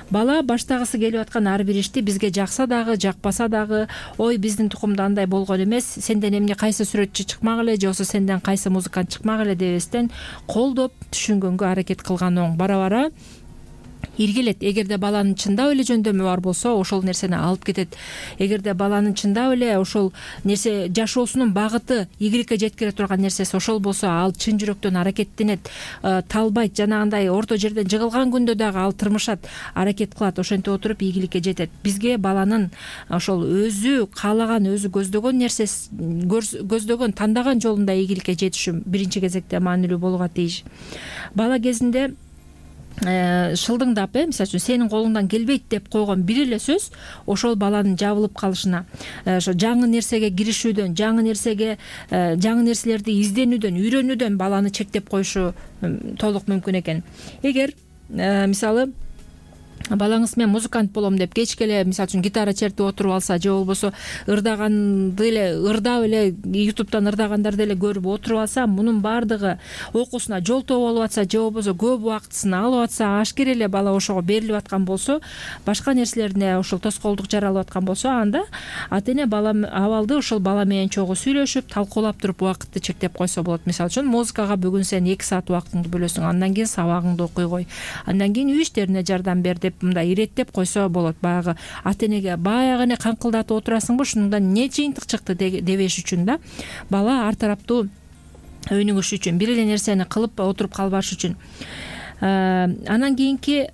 Бала баштагысы келип аткан ар бир ишти бизге жакса дагы жакпаса дагы, ой биздин тукумда андай болгон эмес, сенден эмне кайсы сүрөтчү чыкмак эле же болбосо сенден кайсы музыкант чыкмак эле дебестен колдоп түшүнгөнгө аракет кылган оң. Бара бара иргилет. Эгерде баланын чындап эле жөндөмү бар болсо, ошол нерсени алып кетет. Эгерде баланын чындап эле ошол нерсе жашоосунун багыты ийгиликке жеткире турган нерсеси ошол болсо, ал чын жүрөктөн аракеттенет, талбайт, жанагындай орто жерден жыгылган күндө дагы ал тырмышат, аракет кылат, ошентип отуруп ийгиликке жетет. Бизге баланын ошол өзү каалаган, өзү көздөгөн нерсеси, көздөгөн, тандаган жолунда ийгиликке жетиши биринчи кезекте маанилүү болууга тийиш. Бала кезинде шылдыңдап, мисалы үчүн сенин колуңдан келбейт деп койгон бир эле сөз ошол баланын жабылып калышына, ошо жаңы нерсеге киришүүдөн, жаңы нерселерди изденүүдөн, үйрөнүүдөн баланы чектеп коюшу толук мүмкүн экен. Эгер мисалы балаңыз мен музыкант болом деп кечке эле мисалы үчүн гитара чертип отуруп алса, же болбосо ырдаганды эле ырдап эле YouTube'дан ырдагандарды эле көрүп отуруп алса, мунун баардыгы окуусуна жолтоо болуп атса, же болбосо көп убактысын алып атса, ашкер эле бала ошого берилип аткан болсо, башка нерселерине ошол тоскоолдук жаралып аткан болсо, анда ата эне абалды ошол бала менен чогуу сүйлөшүп, талкуулап туруп убакытты чектеп койсо болот. Мисалы үчүн музыкага бүгүн сен 2 саат убактыңды бөлөсүң, андан кийин сабагыңды окуй кой, андан кийин үй иштерине жардам бер деп мындай иреттеп койсо болот. Баягы ата энеге баягы эле каңкылдатып отурасыңбы, ушундан эмне жыйынтык чыкты дебеш үчүн да, бала ар тараптуу өнүгүш үчүн, бир эле нерсени кылып отуруп калбаш үчүн. Анан кийинки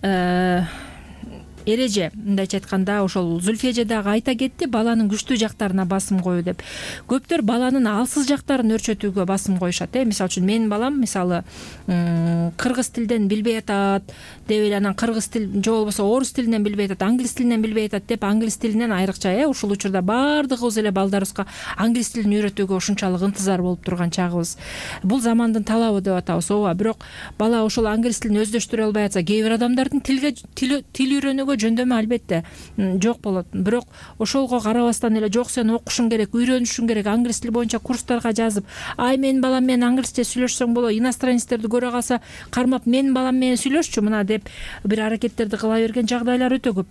эреже, мындайча айтканда, ошол Зүлфия эже дагы айта кетти, баланын күчтүү жактарына басым коюу деп. Көптөр баланын алсыз жактарын өрчөтүүгө басым коюшат. Мисалы үчүн менин балам мисалы кыргыз тилден билбей атат деп эле, анан кыргыз тил же болбосо орус тилинен билбей атат, англис тилинен билбей атат деп, англис тилинен айрыкча ушул учурда баардыгыбыз эле балдарыбызга англис тилин үйрөтүүгө ушунчалык ынтызар болуп турган чагыбыз. Бул замандын талабы деп атабыз. Ооба, бирок бала ошол англис тилин өздөштүрө албай атса, кээ бир адамдардын тил үйрөнүүгө жөндөмү албетте жок болот. Бирок ошолго карабастан эле, жок сен окушуң керек, үйрөнүшүң керек, англис тили боюнча курстарга жазып, ай менин балам менен англисче сүйлөшсөң болот, иностранецтерди көрө калса кармап менин балам менен сүйлөшчү мына деп бир аракеттерди кыла берген жагдайлар өтө көп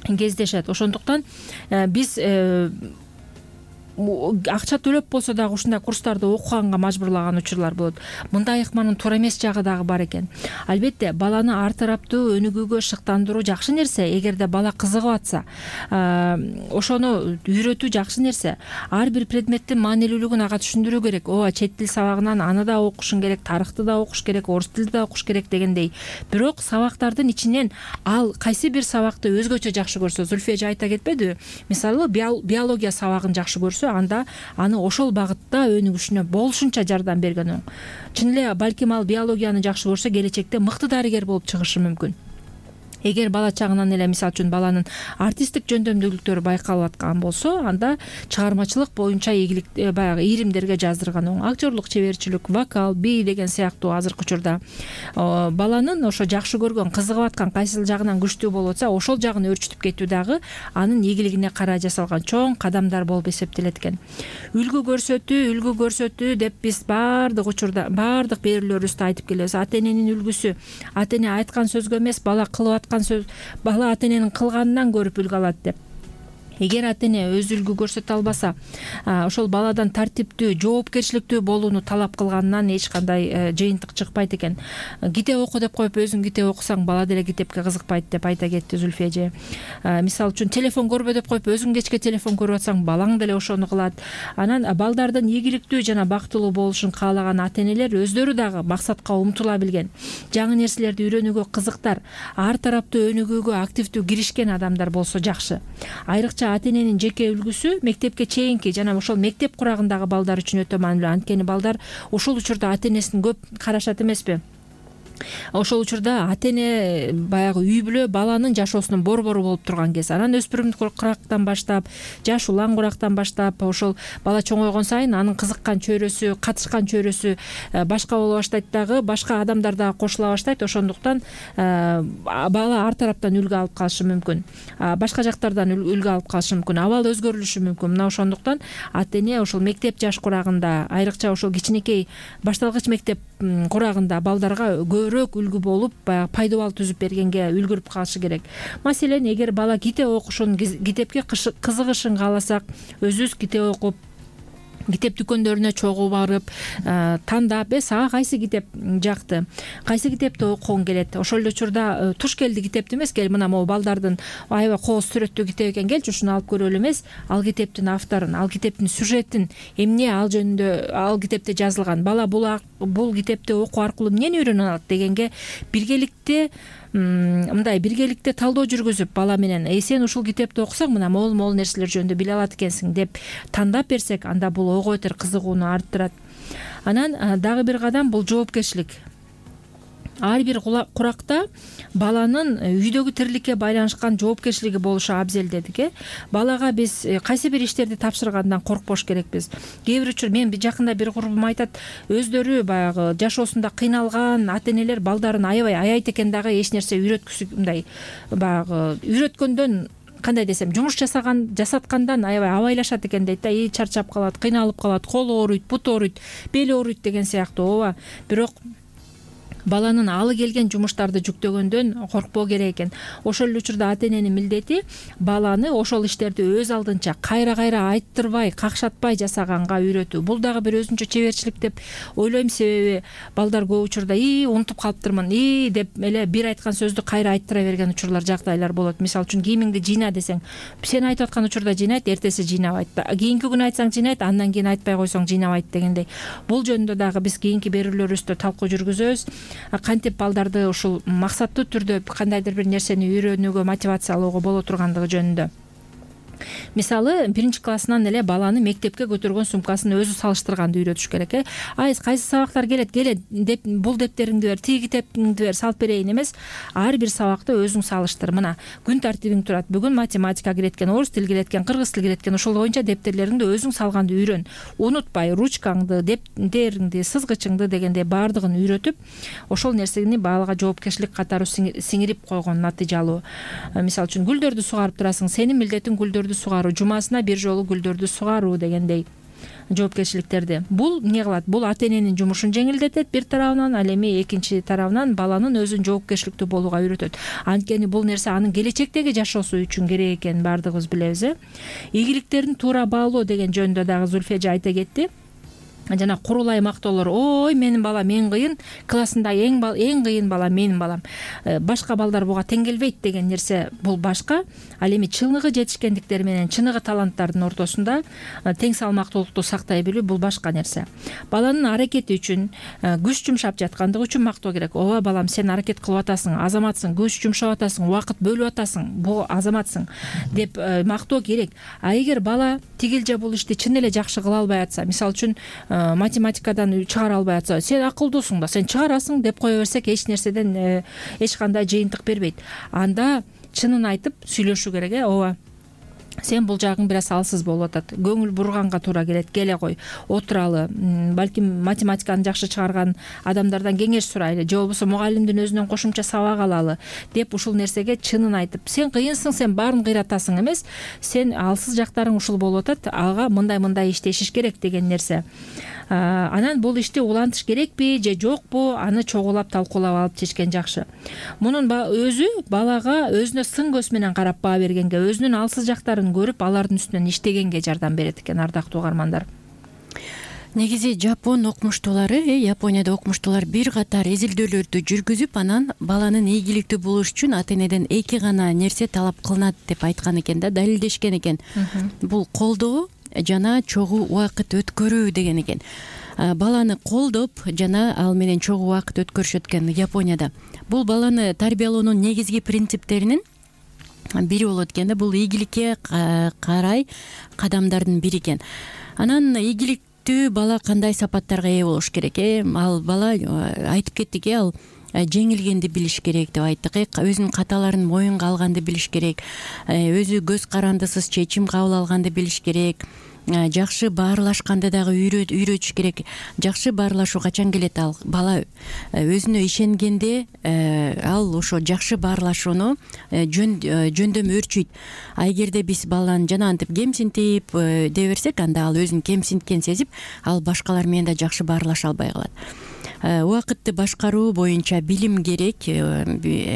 кездешет. Ошондуктан биз акча төлөп болсо дагы ушундай курстарды окуганга мажбурлаган учурлар болот. Мындай ыкманын туура эмес жагы дагы бар экен. Албетте баланы ар тараптуу өнүгүүгө шыктандыруу жакшы нерсе. Эгерде бала кызыгып атса, ошону үйрөтүү жакшы нерсе. Ар бир предметтин маанилүүлүгүн ага түшүндүрүү керек. Ооба, чет тил сабагынан аны да окушуң керек, тарыхты да окуш керек, орус тилди да окуш керек дегендей. Бирок сабактардын ичинен ал кайсы бир сабакты өзгөчө жакшы көрсө, Зүлфия эже айта кетпедиби? Мисалы, биология сабагын жакшы көрсө, анда аны ошол багытта өнүгүшүнө болушунча жардам берген оң. Чын эле балким ал биологияны жакшы көрсө, келечекте мыкты дарыгер болуп чыгышы мүмкүн. Эгер бала чагынан эле мисалы үчүн баланын артисттик жөндөмдүүлүктөрү байкалып аткан болсо, анда чыгармачылык боюнча ийгилик баягы ийримдерге жаздырган оң. Актерлук чеберчилик, вокал, бий деген сыяктуу азыркы учурда баланын ошо жакшы көргөн, кызыгып аткан кайсыл жагынан күчтүү болуп атса, ошол жагын өрчүтүп кетүү дагы анын ийгилигине карай жасалган чоң кадамдар болуп эсептелет экен. Үлгү көрсөтүү деп биз баардык учурда, баардык берүүлөрүбүздө айтып келебиз. Ата эненин үлгүсү, ата эне айткан сөзгө эмес, бала кылып сөз, бала ата эненин кылганынан көрүп үлгү алат деп. Эгер ата эне өз үлгү көрсөтө албаса, ошол баладан тартиптүү, жоопкерчиликтүү болууну талап кылганынан эч кандай жыйынтык чыкпайт экен. Китеп оку деп коюп, өзүң китеп окусаң, бала деле китепке кызыкпайт деп айта кетти Зүлфия эже. Мисалы үчүн телефон көрбө деп коюп, өзүң кечке телефон көрүп атсаң, балаң деле ошону кылат. Анан балдардын ийгиликтүү жана бактылуу болушун каалаган ата энелер өздөрү дагы максатка умтула билген, жаңы нерселерди үйрөнүүгө кызыктар, ар тараптуу өнүгүүгө активдүү киришкен адамдар болсо жакшы. Айрыкча ата эненин жеке үлгүсү мектепке чейинки жана ошол мектеп курагындагы балдар үчүн өтө маанилүү. Анткени балдар ошол учурда ата энесин көп карашат эмеспи? Ошол учурда ата эне баягы үй бүлө баланын жашоосунун борбору болуп турган кез. Анан өспүрүмдүк курактан баштап, жаш улан курактан баштап, ошол бала чоңойгон сайын анын кызыккан чөйрөсү, катышкан чөйрөсү башка боло баштайт дагы, башка адамдар дагы кошула баштайт. Ошондуктан бала ар тараптан үлгү алып калышы мүмкүн. Башка жактардан үлгү алып калышы мүмкүн. Абал өзгөрүлүшү мүмкүн. Мына ошондуктан ата эне ошол мектеп жаш курагында, айрыкча ошол кичинекей башталгыч мектеп курагында балдарга көп көбүрөөк үлгү болуп баягы пайдубал түзүп бергенге үлгүрүп калышы керек. Маселен, эгер бала китеп окушун, китепке кызыгышын кааласак, өзүбүз китеп окуп, китеп дүкөндөрүнө чогуу барып, тандап, сага кайсы китеп жакты, кайсы китепти окугуң келет, ошол эле учурда туш келди китепти эмес, кел мына могу балдардын аябай кооз сүрөттүү китеп экен, келчи ушуну алып көрөлү эмес, ал китептин авторун, ал китептин сюжетин, эмне ал жөнүндө ал китепте жазылган, бала бул китепти окуу аркылуу эмнени үйрөнө алат дегенге биргеликте талдоо жүргүзүп, бала менен сен ушул китепти окусаң мына могул нерселер жөнүндө биле алат экенсиң деп тандап берсек, анда бул ого бетер кызыгууну арттырат. Анан дагы бир кадам бул жоопкерчилик. Ар бир куракта баланын үйдөгү тириликке байланышкан жоопкерчилиги болушу абзел дедик. Балага биз кайсы бир иштерди тапшыргандан коркпош керекпиз. Кээ бир учур мен жакында бир курбум айтат, өздөрү баягы жашоосунда кыйналган ата-энелер балдарын аябай аяйт экен, дагы эч нерсе үйрөткүсү мындай баягы үйрөткөндөн, кандай десем, жумуш жасаткандан аябай абайлашат экен дейт да, чарчап калат, кыйналып калат, колу ооруйт, буту ооруйт, бели ооруйт деген сыяктуу. Ооба, бирок баланын алы келген жумуштарды жүктөгөндөн коркпоо керек экен. Ошол эле учурда ата-эненин милдети баланы ошол иштерди өз алдынча кайра айттырбай, какшатпай жасаганга үйрөтүү. Бул дагы бир өзүнчө чеберчилик деп ойлойм, себеби балдар көп учурда унутуп калыптырмын деп эле бир айткан сөздү кайра айттыра берген учурлар, жагдайлар болот. Мисалы үчүн, кийимиңди жыйна десең, сен айтып аткан учурда жыйнайт, эртеси жыйнабайт. Кийинки күнү айтсаң жыйнайт, андан кийин айтпай койсоң жыйнабайт дегендей. Бул жөнүндө дагы биз кийинки берүүлөрүбүздө талкуу жүргүзөбүз. Кантип балдарды ушул максаттуу түрдө кандайдыр бир нерсени үйрөнүүгө мотивациялоого боло тургандыгы жөнүндө. Мисалы, 1-классынан эле баланы мектепке көтөргөн сумкасын өзү салыштырганды үйрөтүш керек. Кайсы сабактар келет деп, бул дептериңди бер, тиги китептиңди бер, салып берейин эмес. Ар бир сабакты өзүң салыштыр. Мына күн тартибиң турат. Бүгүн математика киреткен, орус тил киреткен, кыргыз тил киреткен. Ошол боюнча дептерлериңди өзүң салганды үйрөн. Унутпай, ручкаңды, дептериңди, сызгычыңды дегендей баардыгын үйрөтүп, ошол нерсени балага жоопкерчилик катары сиңирип койгон натыйжалуу. Мисалы үчүн, гүлдөрдү сугарып турасың, сенин милдетиң гүлдөрдү сугаруу, жумасына бир жолу гүлдөрдү сугаруу дегендей жоопкерчиликтерди. Бул эмне кылат? Бул ата-эненин жумушун жеңилдетет бир тарабынан, ал эми экинчи тарабынан баланын өзүн жоопкерчиликтүү болууга үйрөтөт. Анткени бул нерсе анын келечектеги жашоосу үчүн керек экенин баардыгыбыз билебиз. Ийгиликтерин туура баалоо деген жөнүндө дагы Зульфия айта кетти. Жана курулай мактоолор, ой менин балам эң кыйын, классында эң кыйын бала менин балам, башка балдар буга тең келбейт деген нерсе бул башка. Ал эми чыныгы жетишкендиктер менен чыныгы таланттардын ортосунда тең салмактуулукту сактай билүү бул башка нерсе. Баланын аракети үчүн, күч жумшап жаткандыгы үчүн мактоо керек. Ооба балам, сен аракет кылып атасың, азаматсың, күч жумшап атасың, убакыт бөлүп атасың, бул азаматсың деп мактоо керек. А эгер бала тигил же бул ишти чын эле жакшы кыла албай атса, мисалы үчүн математикадан чыгара албай атса, сен акылдуусуң да, сен чыгарасың деп кое берсек, эч нерседен эч кандай жыйынтык бербейт. Анда чынын айтып сүйлөшүү керек. Ооба, сен бул жагың бир аз алсыз болуп атат, көңүл бурганга туура келет, келе кой, отуралы, балким математиканы жакшы чыгарган адамдардан кеңеш сурайлы, же болбосо мугалимдин өзүнөн кошумча сабак алалы деп ушул нерсеге чынын айтып, сен кыйынсың, сен баарын кыйратасың эмес, сен алсыз жактарың ушул болуп атат, ага мындай иштешиш керек деген нерсе. Анан бул ишти улантыш керекпи же жокпу, аны чогулап талкуулап алып чечкен жакшы. Мунун өзү балага өзүнө сын көз менен карап баа бергенге, өзүнүн алсыз жактарын көрүп, алардын үстүнөн иштегенге жардам берет экен, ардактуу угармандар. Негизи Жапон окумуштуулары, Японияда окумуштуулар бир катар изилдөөлөрдү жүргүзүп, анан баланын ийгиликтүү болуш үчүн ата-энеден 2 гана нерсе талап кылынат деп айткан экен да, далилдешкен экен. Бул колдоо жана чогуу убакыт өткөрүү деген экен. Баланы колдоп жана ал менен чогуу убакыт өткөрүшөт экен Японияда. Бул баланы тарбиялоонун негизги принциптеринин бири болот экен да, бул ийгиликке карай кадамдардын бири экен. Анан ийгиликтүү бала кандай сапаттарга ээ болуш керек? Ал бала айтып кеттик, ал жеңилгенди билиш керек деп айттык. Өзүнүн каталарын моюнга алганды билиш керек, өзү көз карандысыз чечим кабыл алганды билиш керек, жакшы баарлашканды дагы үйрөтүш керек. Жакшы баарлашуу качан келет? Ал бала өзүнө ишенгенде ал ошо жакшы баарлашууну жөндөм өөрчүйт. А эгерде биз баланы жана антип кемсинтип дей берсек, анда ал өзүн кемсинткен сезип, ал башкалар менен да жакшы баарлаша албай калат. убакытты башкаруу боюнча билим керек.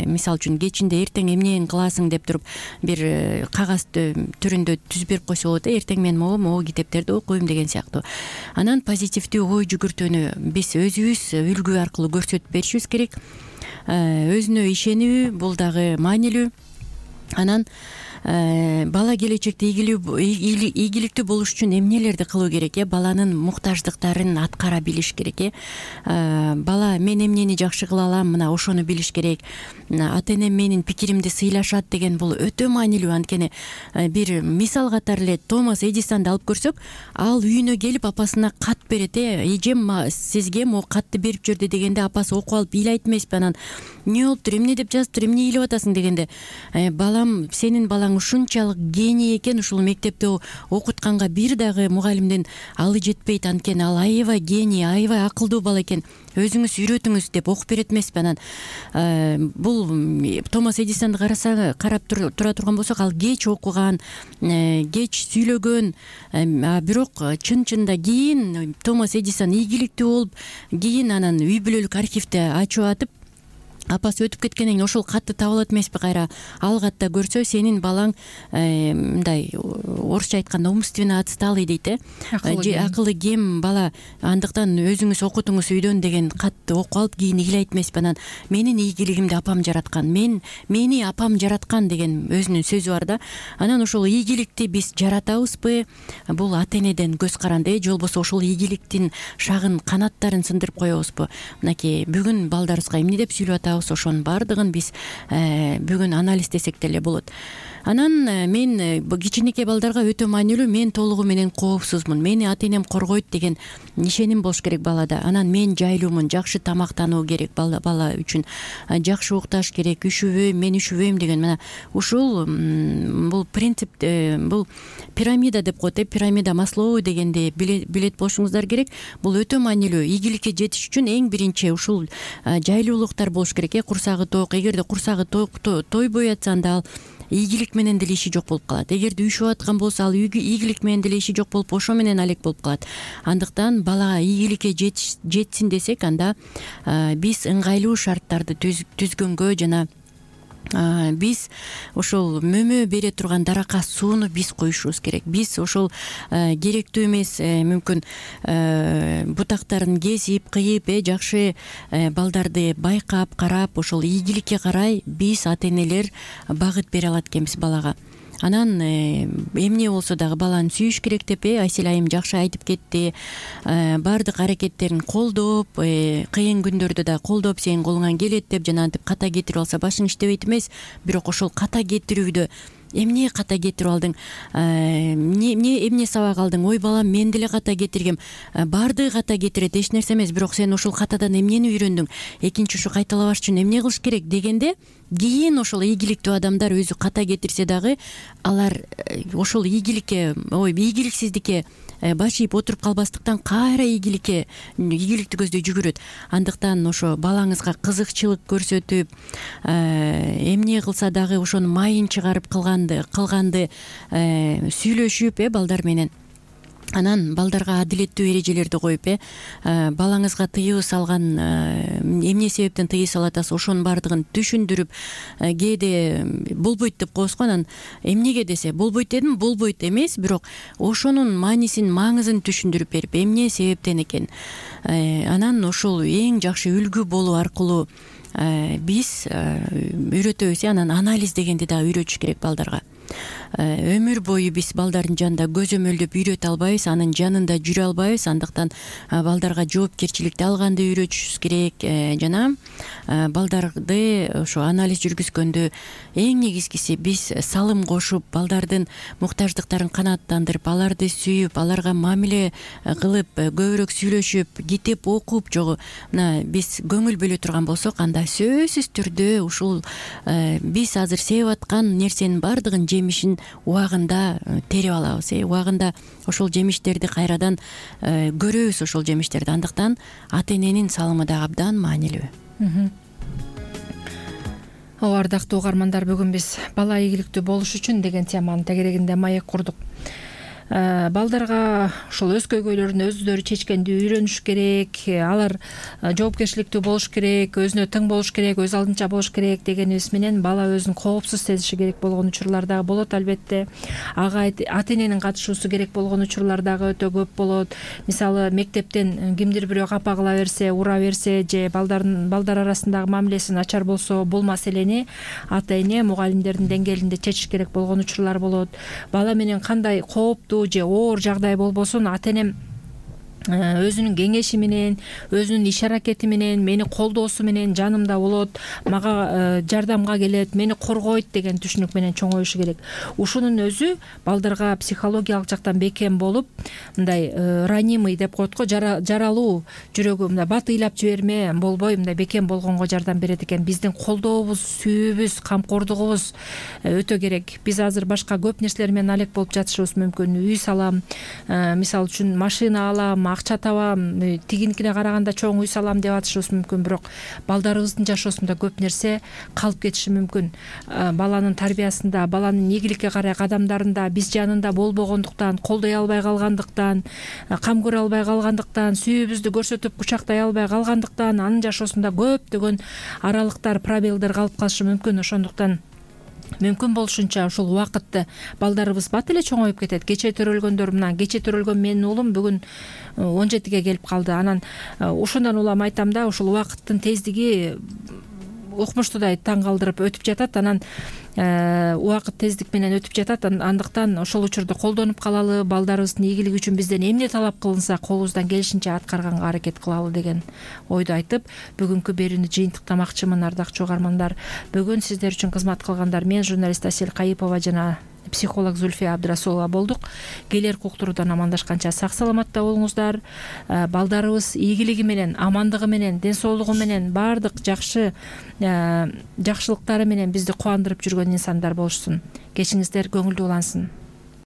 Мисалы үчүн кечинде эртең эмнени кыласың деп туруп бир кагаз түрүндө түзүп берип койсо болот. Эртең мен могу китептерди окуйм деген сыяктуу. Анан позитивдүү ой жүгүртүүнү биз өзүбүз үлгү аркылуу көрсөтүп беришибиз керек. Өзүнө ишенүү бул дагы маанилүү. Анан бала келечекте ийгиликтүү болуш үчүн эмнелерди кылуу керек? Баланын муктаждыктарын аткара билиш керек. Бала мен эмнени жакшы кыла алам, мына ошону билиш керек. Ата энем менин пикиримди сыйлашат деген бул өтө маанилүү. Анткени бир мисал катары эле Томас Эдисонду алып көрсөк, ал үйүнө келип апасына кат берет. Эжем сизге могу катты берип жүрдү дегенде апасы окуп алып ыйлайт эмеспи? Анан эмне болуптур, эмне деп жазыптыр, эмне ыйлап атасың дегенде, балам, сенин балаң ушунчалык гений экен, ушул мектепте окутканга бир дагы мугалимдин алы жетпейт, анткени ал аябай гений, аябай акылдуу бала экен, өзүңүз үйрөтүңүз деп окуп берет эмеспи? Анан бул Томас Эдисонду карап тура турган болсок, ал кеч окуган, кеч сүйлөгөн, бирок чын-чынында кийин Томас Эдисон ийгиликтүү болуп, кийин анан үй бүлөлүк архивди ачып атып, апасы өтүп кеткенден кийин ошол катты таап алат эмеспи? Кайра ал катта көрсө, сенин балаң мындай орусча айтканда умственно отсталый дейт, акылы кем бала, андыктан өзүңүз окутуңуз үйдөн деген катты окуп алып кийин ыйлайт эмеспи? Анан менин ийгилигимди апам жараткан, мени апам жараткан деген өзүнүн сөзү бар да. Анан ошол ийгиликти биз жаратабызбы? Бул ата энеден көз каранды, же болбосо ошол ийгиликтин шагын канаттарын сындырып коебузбу? Мынакей бүгүн балдарыбызга эмне деп сүйлөп атабыз? Ошонун баардыгын биз бүгүн анализдесек деле болот. Анан мен кичинекей балдарга өтө маанилүү, мен толугу менен коопсузмун, мени ата энем коргойт деген ишеним болуш керек балада. Анан мен жайлуумун, жакшы тамактануу керек бала үчүн, жакшы укташ керек, ушубөйм, мен ушубөйм деген. Мына ушул бул принцип, бул пирамида деп коет, пирамида Маслоу дегенди билет болушуңуздар керек. Бул өтө маанилүү. Ийгиликке жетиш үчүн эң биринчи ушул жайлуулуктар болуш керек. Курсагы ток, эгерде курсагы тойбой атса, анда ал ийгилик менен деле иши жок болуп калат. Эгерде үйшүп аткан болсо, ал ийгилик менен деле иши жок болуп, ошо менен алек болуп калат. Андыктан балага ийгиликке жетсин десек, анда биз ыңгайлуу шарттарды түзгөнгө жана биз ошол мөмө бере турган даракка сууну биз коюшубуз керек. Биз ошол керектүү эмес, мүмкүн бутактарын кесип, кыйып, жакшы балдарды байкап, карап, ошол ийгиликке карай биз ата энелер багыт бере алат экенбиз балага. Анан эмне болсо дагы баланы сүйүш керек деп Айсел айым жакшы айтып кетти. Баардык аракеттерин колдоп, кыйын күндөрдө да колдоп, сенин колуңан келет деп жанагынтип ката кетирип алса башың иштебейт эмес. Бирок ошол ката кетирүүдө эмне ката кетирип алдың, эмне сабак алдың, ой балам мен деле ката кетиргем, баардыгы ката кетирет, эч нерсе эмес, бирок сен ошол катадан эмнени үйрөндүң, экинчи ушу кайталабаш үчүн эмне кылыш керек дегенде, кийин ошол ийгиликтүү адамдар өзү ката кетирсе дагы алар ошол ийгиликсиздикке баш ийип отуруп калбастыктан кайра ийгиликти көздөй жүгүрөт. Андыктан ошо балаңызга кызыкчылык көрсөтүп, эмне кылса дагы ошону майын чыгарып кылганды сүйлөшүп балдар менен. Анан балдарга адилеттүү эрежелерди коюп, балаңызга тыюу салган эмне себептен тыюу салып атасыз, ошонун баардыгын түшүндүрүп, кээде болбойт деп коебуз го. Анан эмнеге десе, болбойт дедим, болбойт эмес, бирок ошонун маанисин, маңызын түшүндүрүп берип, эмне себептен экен. Анан ошол эң жакшы үлгү болуу аркылуу биз үйрөтөбүз. Анан анализ дегенди дагы үйрөтүш керек балдарга. Өмүр бою биз балдардын жанында көзөмөлдөп үйрөтө албайбыз, анын жанында жүрө албайбыз. Андыктан балдарга жоопкерчиликти алганды үйрөтүшүбүз керек. Жана балдарды ошо анализ жүргүзгөндө эң негизгиси биз салым кошуп, балдардын муктаждыктарын канааттандырып, аларды сүйүп, аларга мамиле кылып, көбүрөөк сүйлөшүп, китеп окуп, жогу мына биз көңүл бөлө турган болсок, анда сөзсүз түрдө ушул биз азыр сееп аткан нерсенин баардыгын жемишин убагында терип алабыз. Убагында ошол жемиштерди кайрадан көрөбүз, ошол жемиштерди. Андыктан ата эненин салымы да абдан маанилүү. Ардактуу угармандар, бүгүн биз бала ийгиликтүү болуш үчүн деген теманын тегерегинде маек курдук. балдарга ушул өз көйгөйлөрүн өздөрү чечкенди үйрөнүш керек, алар жоопкерчиликтүү болуш керек, өзүнө тың болуш керек, өз алдынча болуш керек дегенибиз менен бала өзүн коопсуз сезиши керек болгон учурлар дагы болот. Албетте ага ата эненин катышуусу керек болгон учурлар дагы өтө көп болот. Мисалы мектептен кимдир бирөө капа кыла берсе, ура берсе же балдар арасындагы мамилеси начар болсо, бул маселени ата эне мугалимдердин деңгээлинде чечиш керек болгон учурлар болот. Бала менен кандай кооптуу же оор жагдай болбосун ата энем өзүнүн кеңеши менен, өзүнүн иш аракети менен, мени колдоосу менен жанымда болот, мага жардамга келет, мени коргойт деген түшүнүк менен чоңоюшу керек. Ушунун өзү балдарга психологиялык жактан бекем болуп, мындай ранимый деп коет го, жаралуу жүрөгү мындай бат ыйлап жиберме болбой мындай бекем болгонго жардам берет экен. Биздин колдообуз, сүйүүбүз, камкордугубуз өтө керек. Биз азыр башка көп нерселер менен алек болуп жатышыбыз мүмкүн. Үй салам, мисалы үчүн машина алам, акча табам, тигиникине караганда чоң үй салам деп атышыбыз мүмкүн, бирок балдарыбыздын жашоосунда көп нерсе калып кетиши мүмкүн. Баланын тарбиясында, баланын ийгиликке карай кадамдарында биз жанында болбогондуктан, колдой албай калгандыктан, кам көрө албай калгандыктан, сүйүүбүздү көрсөтүп кучактай албай калгандыктан анын жашоосунда көптөгөн аралыктар, пробелдер калып калышы мүмкүн. Ошондуктан мүмкүн болушунча ушул убакытты балдарыбыз бат эле чоңоюп кетет. Кечээ төрөлгөндөр мына кечээ төрөлгөн менин уулум бүгүн 17-ге келип калды. Анан ошондон улам айтам да, ушул убакыттын тездиги укмуштуудай таң калтырып өтүп жатат. Анан убакыт тездик менен өтүп жатат. Андыктан ошол учурду колдонуп калалы, балдарыбыздын ийгилиги үчүн бизден эмне талап кылынса колубуздан келишинче аткарганга аракет кылалы деген ойду айтып, бүгүнкү берүүнү жыйынтыктамакчымын. Ардактуу угармандар, бүгүн сиздер үчүн кызмат кылгандар мен журналист Асель Кайыпова жана психолог Зульфия Абдрасулова болдук. Келерки уктуруудан амандашканча сак саламатта болуңуздар. Балдарыбыз ийгилиги менен, амандыгы менен, ден соолугу менен, баардык жакшылыктары менен бизди кубандырып жүргөн инсандар болушсун. Кечиңиздер көңүлдүү улансын.